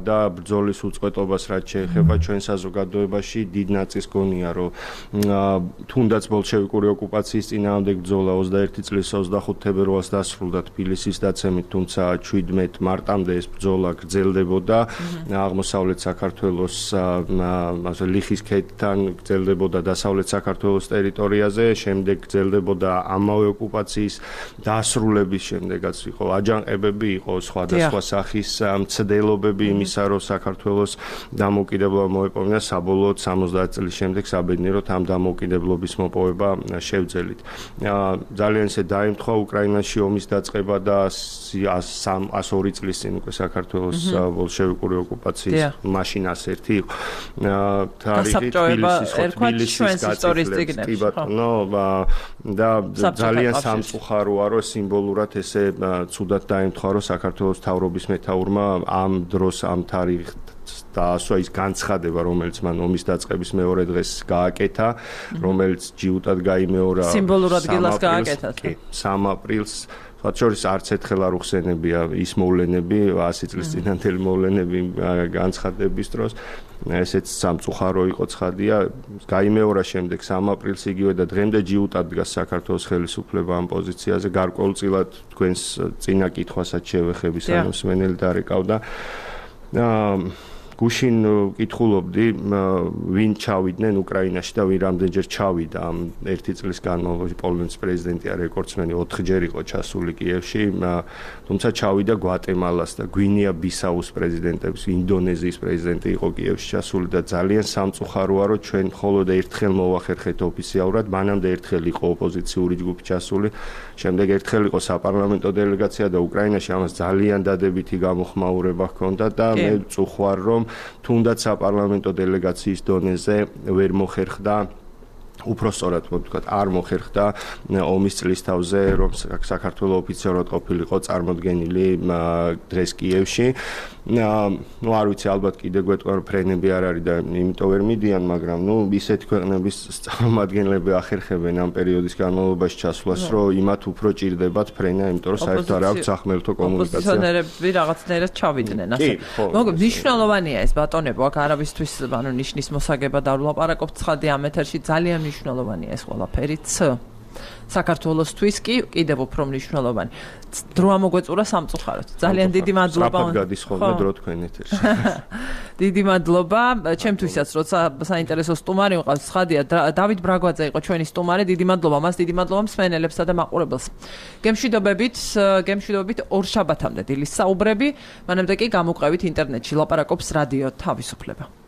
და ბრძოლის უწყვეტობას რაც შეეხება ჩვენ საზოგადოებაში დიდ ნაწილს გონია რომ თუნდაც ბოლშევიკური ოკუპაციის წინააღმდეგ ბრძოლა ოცდაერთი წლის ოცდახუთი თებერვალს დასრულდა თბილისის დაცემით, თუმცა შვიდმეტ მარტამდე ეს ბრძოლა გრძელდებოდა აღმოსავლეთ საქართველოს ასე ლიხის ქედთან გრძელდებოდა დასავლეთ საქართველოს ტერიტორიაზე, შემდეგ გრძელდებოდა ამავე ოკუპაციის დასრულების შემდეგაც იყო აჯანყებები, იყო სხვადასხვა სახის მცდელობები იმისა, რომ საქართველოს დამოუკიდებლობა მოეპოვნა, საბოლოოდ სამოცდაათი წლის შემდეგ საბედნიეროდ ამ დამოუკიდებლობის მოპოვება შევძელით. ძალიან ისე დაემთხვა უკრაინაში ომის დაწყება და ას ორი წლის წინ უკვე საქართველოს ბოლშევიკური ოკუპაციის მაშინ ას ერთი იყო. თარიღი თბილისის თბილისის ისტორიის წიგნებში. ბატონო და ძალიან სამწუხაროა რომ სიმბოლურად ესე ცუდად დაემთხვა რომ საქართველოს მთავრობის მეთაურმა ამ დროს ამ თარიღს დაასვა ის განცხადება, რომელიც მან ომის დაწყების მეორე დღეს გააკეთა, რომელიც ჯიუტად გაიმეორა სიმბოლურად გილას გააკეთა. კი, სამ აპრილს მათ შორის არც ერთხელ არ უხსენებია ის მოვლენები, ასი წლის წინანდელი მოვლენები განცხადების დროს. ესეც სამწუხარო იყო ცხადია. გაიმეორა შემდეგ სამ აპრილს იგივე და დღემდე ჯიუტად დგას საქართველოს ხელისუფლება ამ პოზიციაზე. გარკვეულწილად თქვენს წინა კითხვასაც შევეხები, სანამ სმენელი დარეკავდა. გუშინ კითხულობდი ვინ ჩავიდნენ უკრაინაში და ვინ რამდენჯერ ჩავიდა ამ ერთი წლის განმავლობაში. პოლონეთის პრეზიდენტი არის რეკორდსმენი, ოთხჯერ იყო ჩასული კიევში, თუმცა ჩავიდა გვატემალას და გვინეა-ბისაუს პრეზიდენტების, ინდონეზიის პრეზიდენტი იყო კიევში ჩასული და ძალიან სამწუხაროა რომ ჩვენ მხოლოდ ერთხელ მოვახერხეთ ოფიციალურად, მანამდე ერთხელ იყო ოპოზიციური ჯგუფი ჩასული, შემდეგ ერთხელ იყო საპარლამენტო დელეგაცია და უკრაინაში ამას ძალიან დადებითი გამოხმაურება ჰქონდა და მე წუხوار რომ თუნდაც საპარლამენტო დელეგაციის დონეზე ვერ მოხერხდა უფრო სწორად ვთქვათ, არ მოხერხდა ომის წლისთავზე, რომ საქართველოს ოფიციალურად ყოფილიყო წარმოდგენილი დღეს კიევში. ნუ არ ვიცი, ალბათ კიდე გვეტყვა რომ ფრენები არ არის და იმიტომ ვერ მიდიან, მაგრამ ნუ ისეთი ქვეყნების წარმომადგენლები ახერხებენ ამ პერიოდის განმავლობაში ჩასვლას, რომ იმათ უფრო ჭირდებათ ფრენა, იმიტომ რომ საერთოდ არ აქვს სახმელთო კომუნიკაცია. ოპოზიციონერები რაღაცნაირად ჩავიდნენ ასე. მოგებ მნიშვნელოვანია ეს ბატონებო, აქ არავისთვის ანუ ნიშნის მოსაგებად არ ვლაპარაკობთ, ცხადია ამ ეთერში ძალიან მნიშვნელოვანია ეს ყველაფერიც. საქართველოსთვის კი კიდევ უფრო მნიშვნელოვანი. დრო ამოგვეწურა სამწუხაროდ. ძალიან დიდი მადლობა. სწრაფად გადის ხოლმე დრო თქვენ ეთერში. დიდი მადლობა. ჩემთვისაც როცა საინტერესო სტუმარი მყავს, ცხადია დავით ბრაგვაძე იყო ჩვენი სტუმარი. დიდი მადლობა მას, დიდი მადლობა მსმენელებსა და მაყურებელს. გემშვიდობებით, გემშვიდობებით ორ შაბათამდე დილის საუბრები. მანამდე კი გამოყევით ინტერნეტში ლაპარაკობს რადიო თავისუფლება.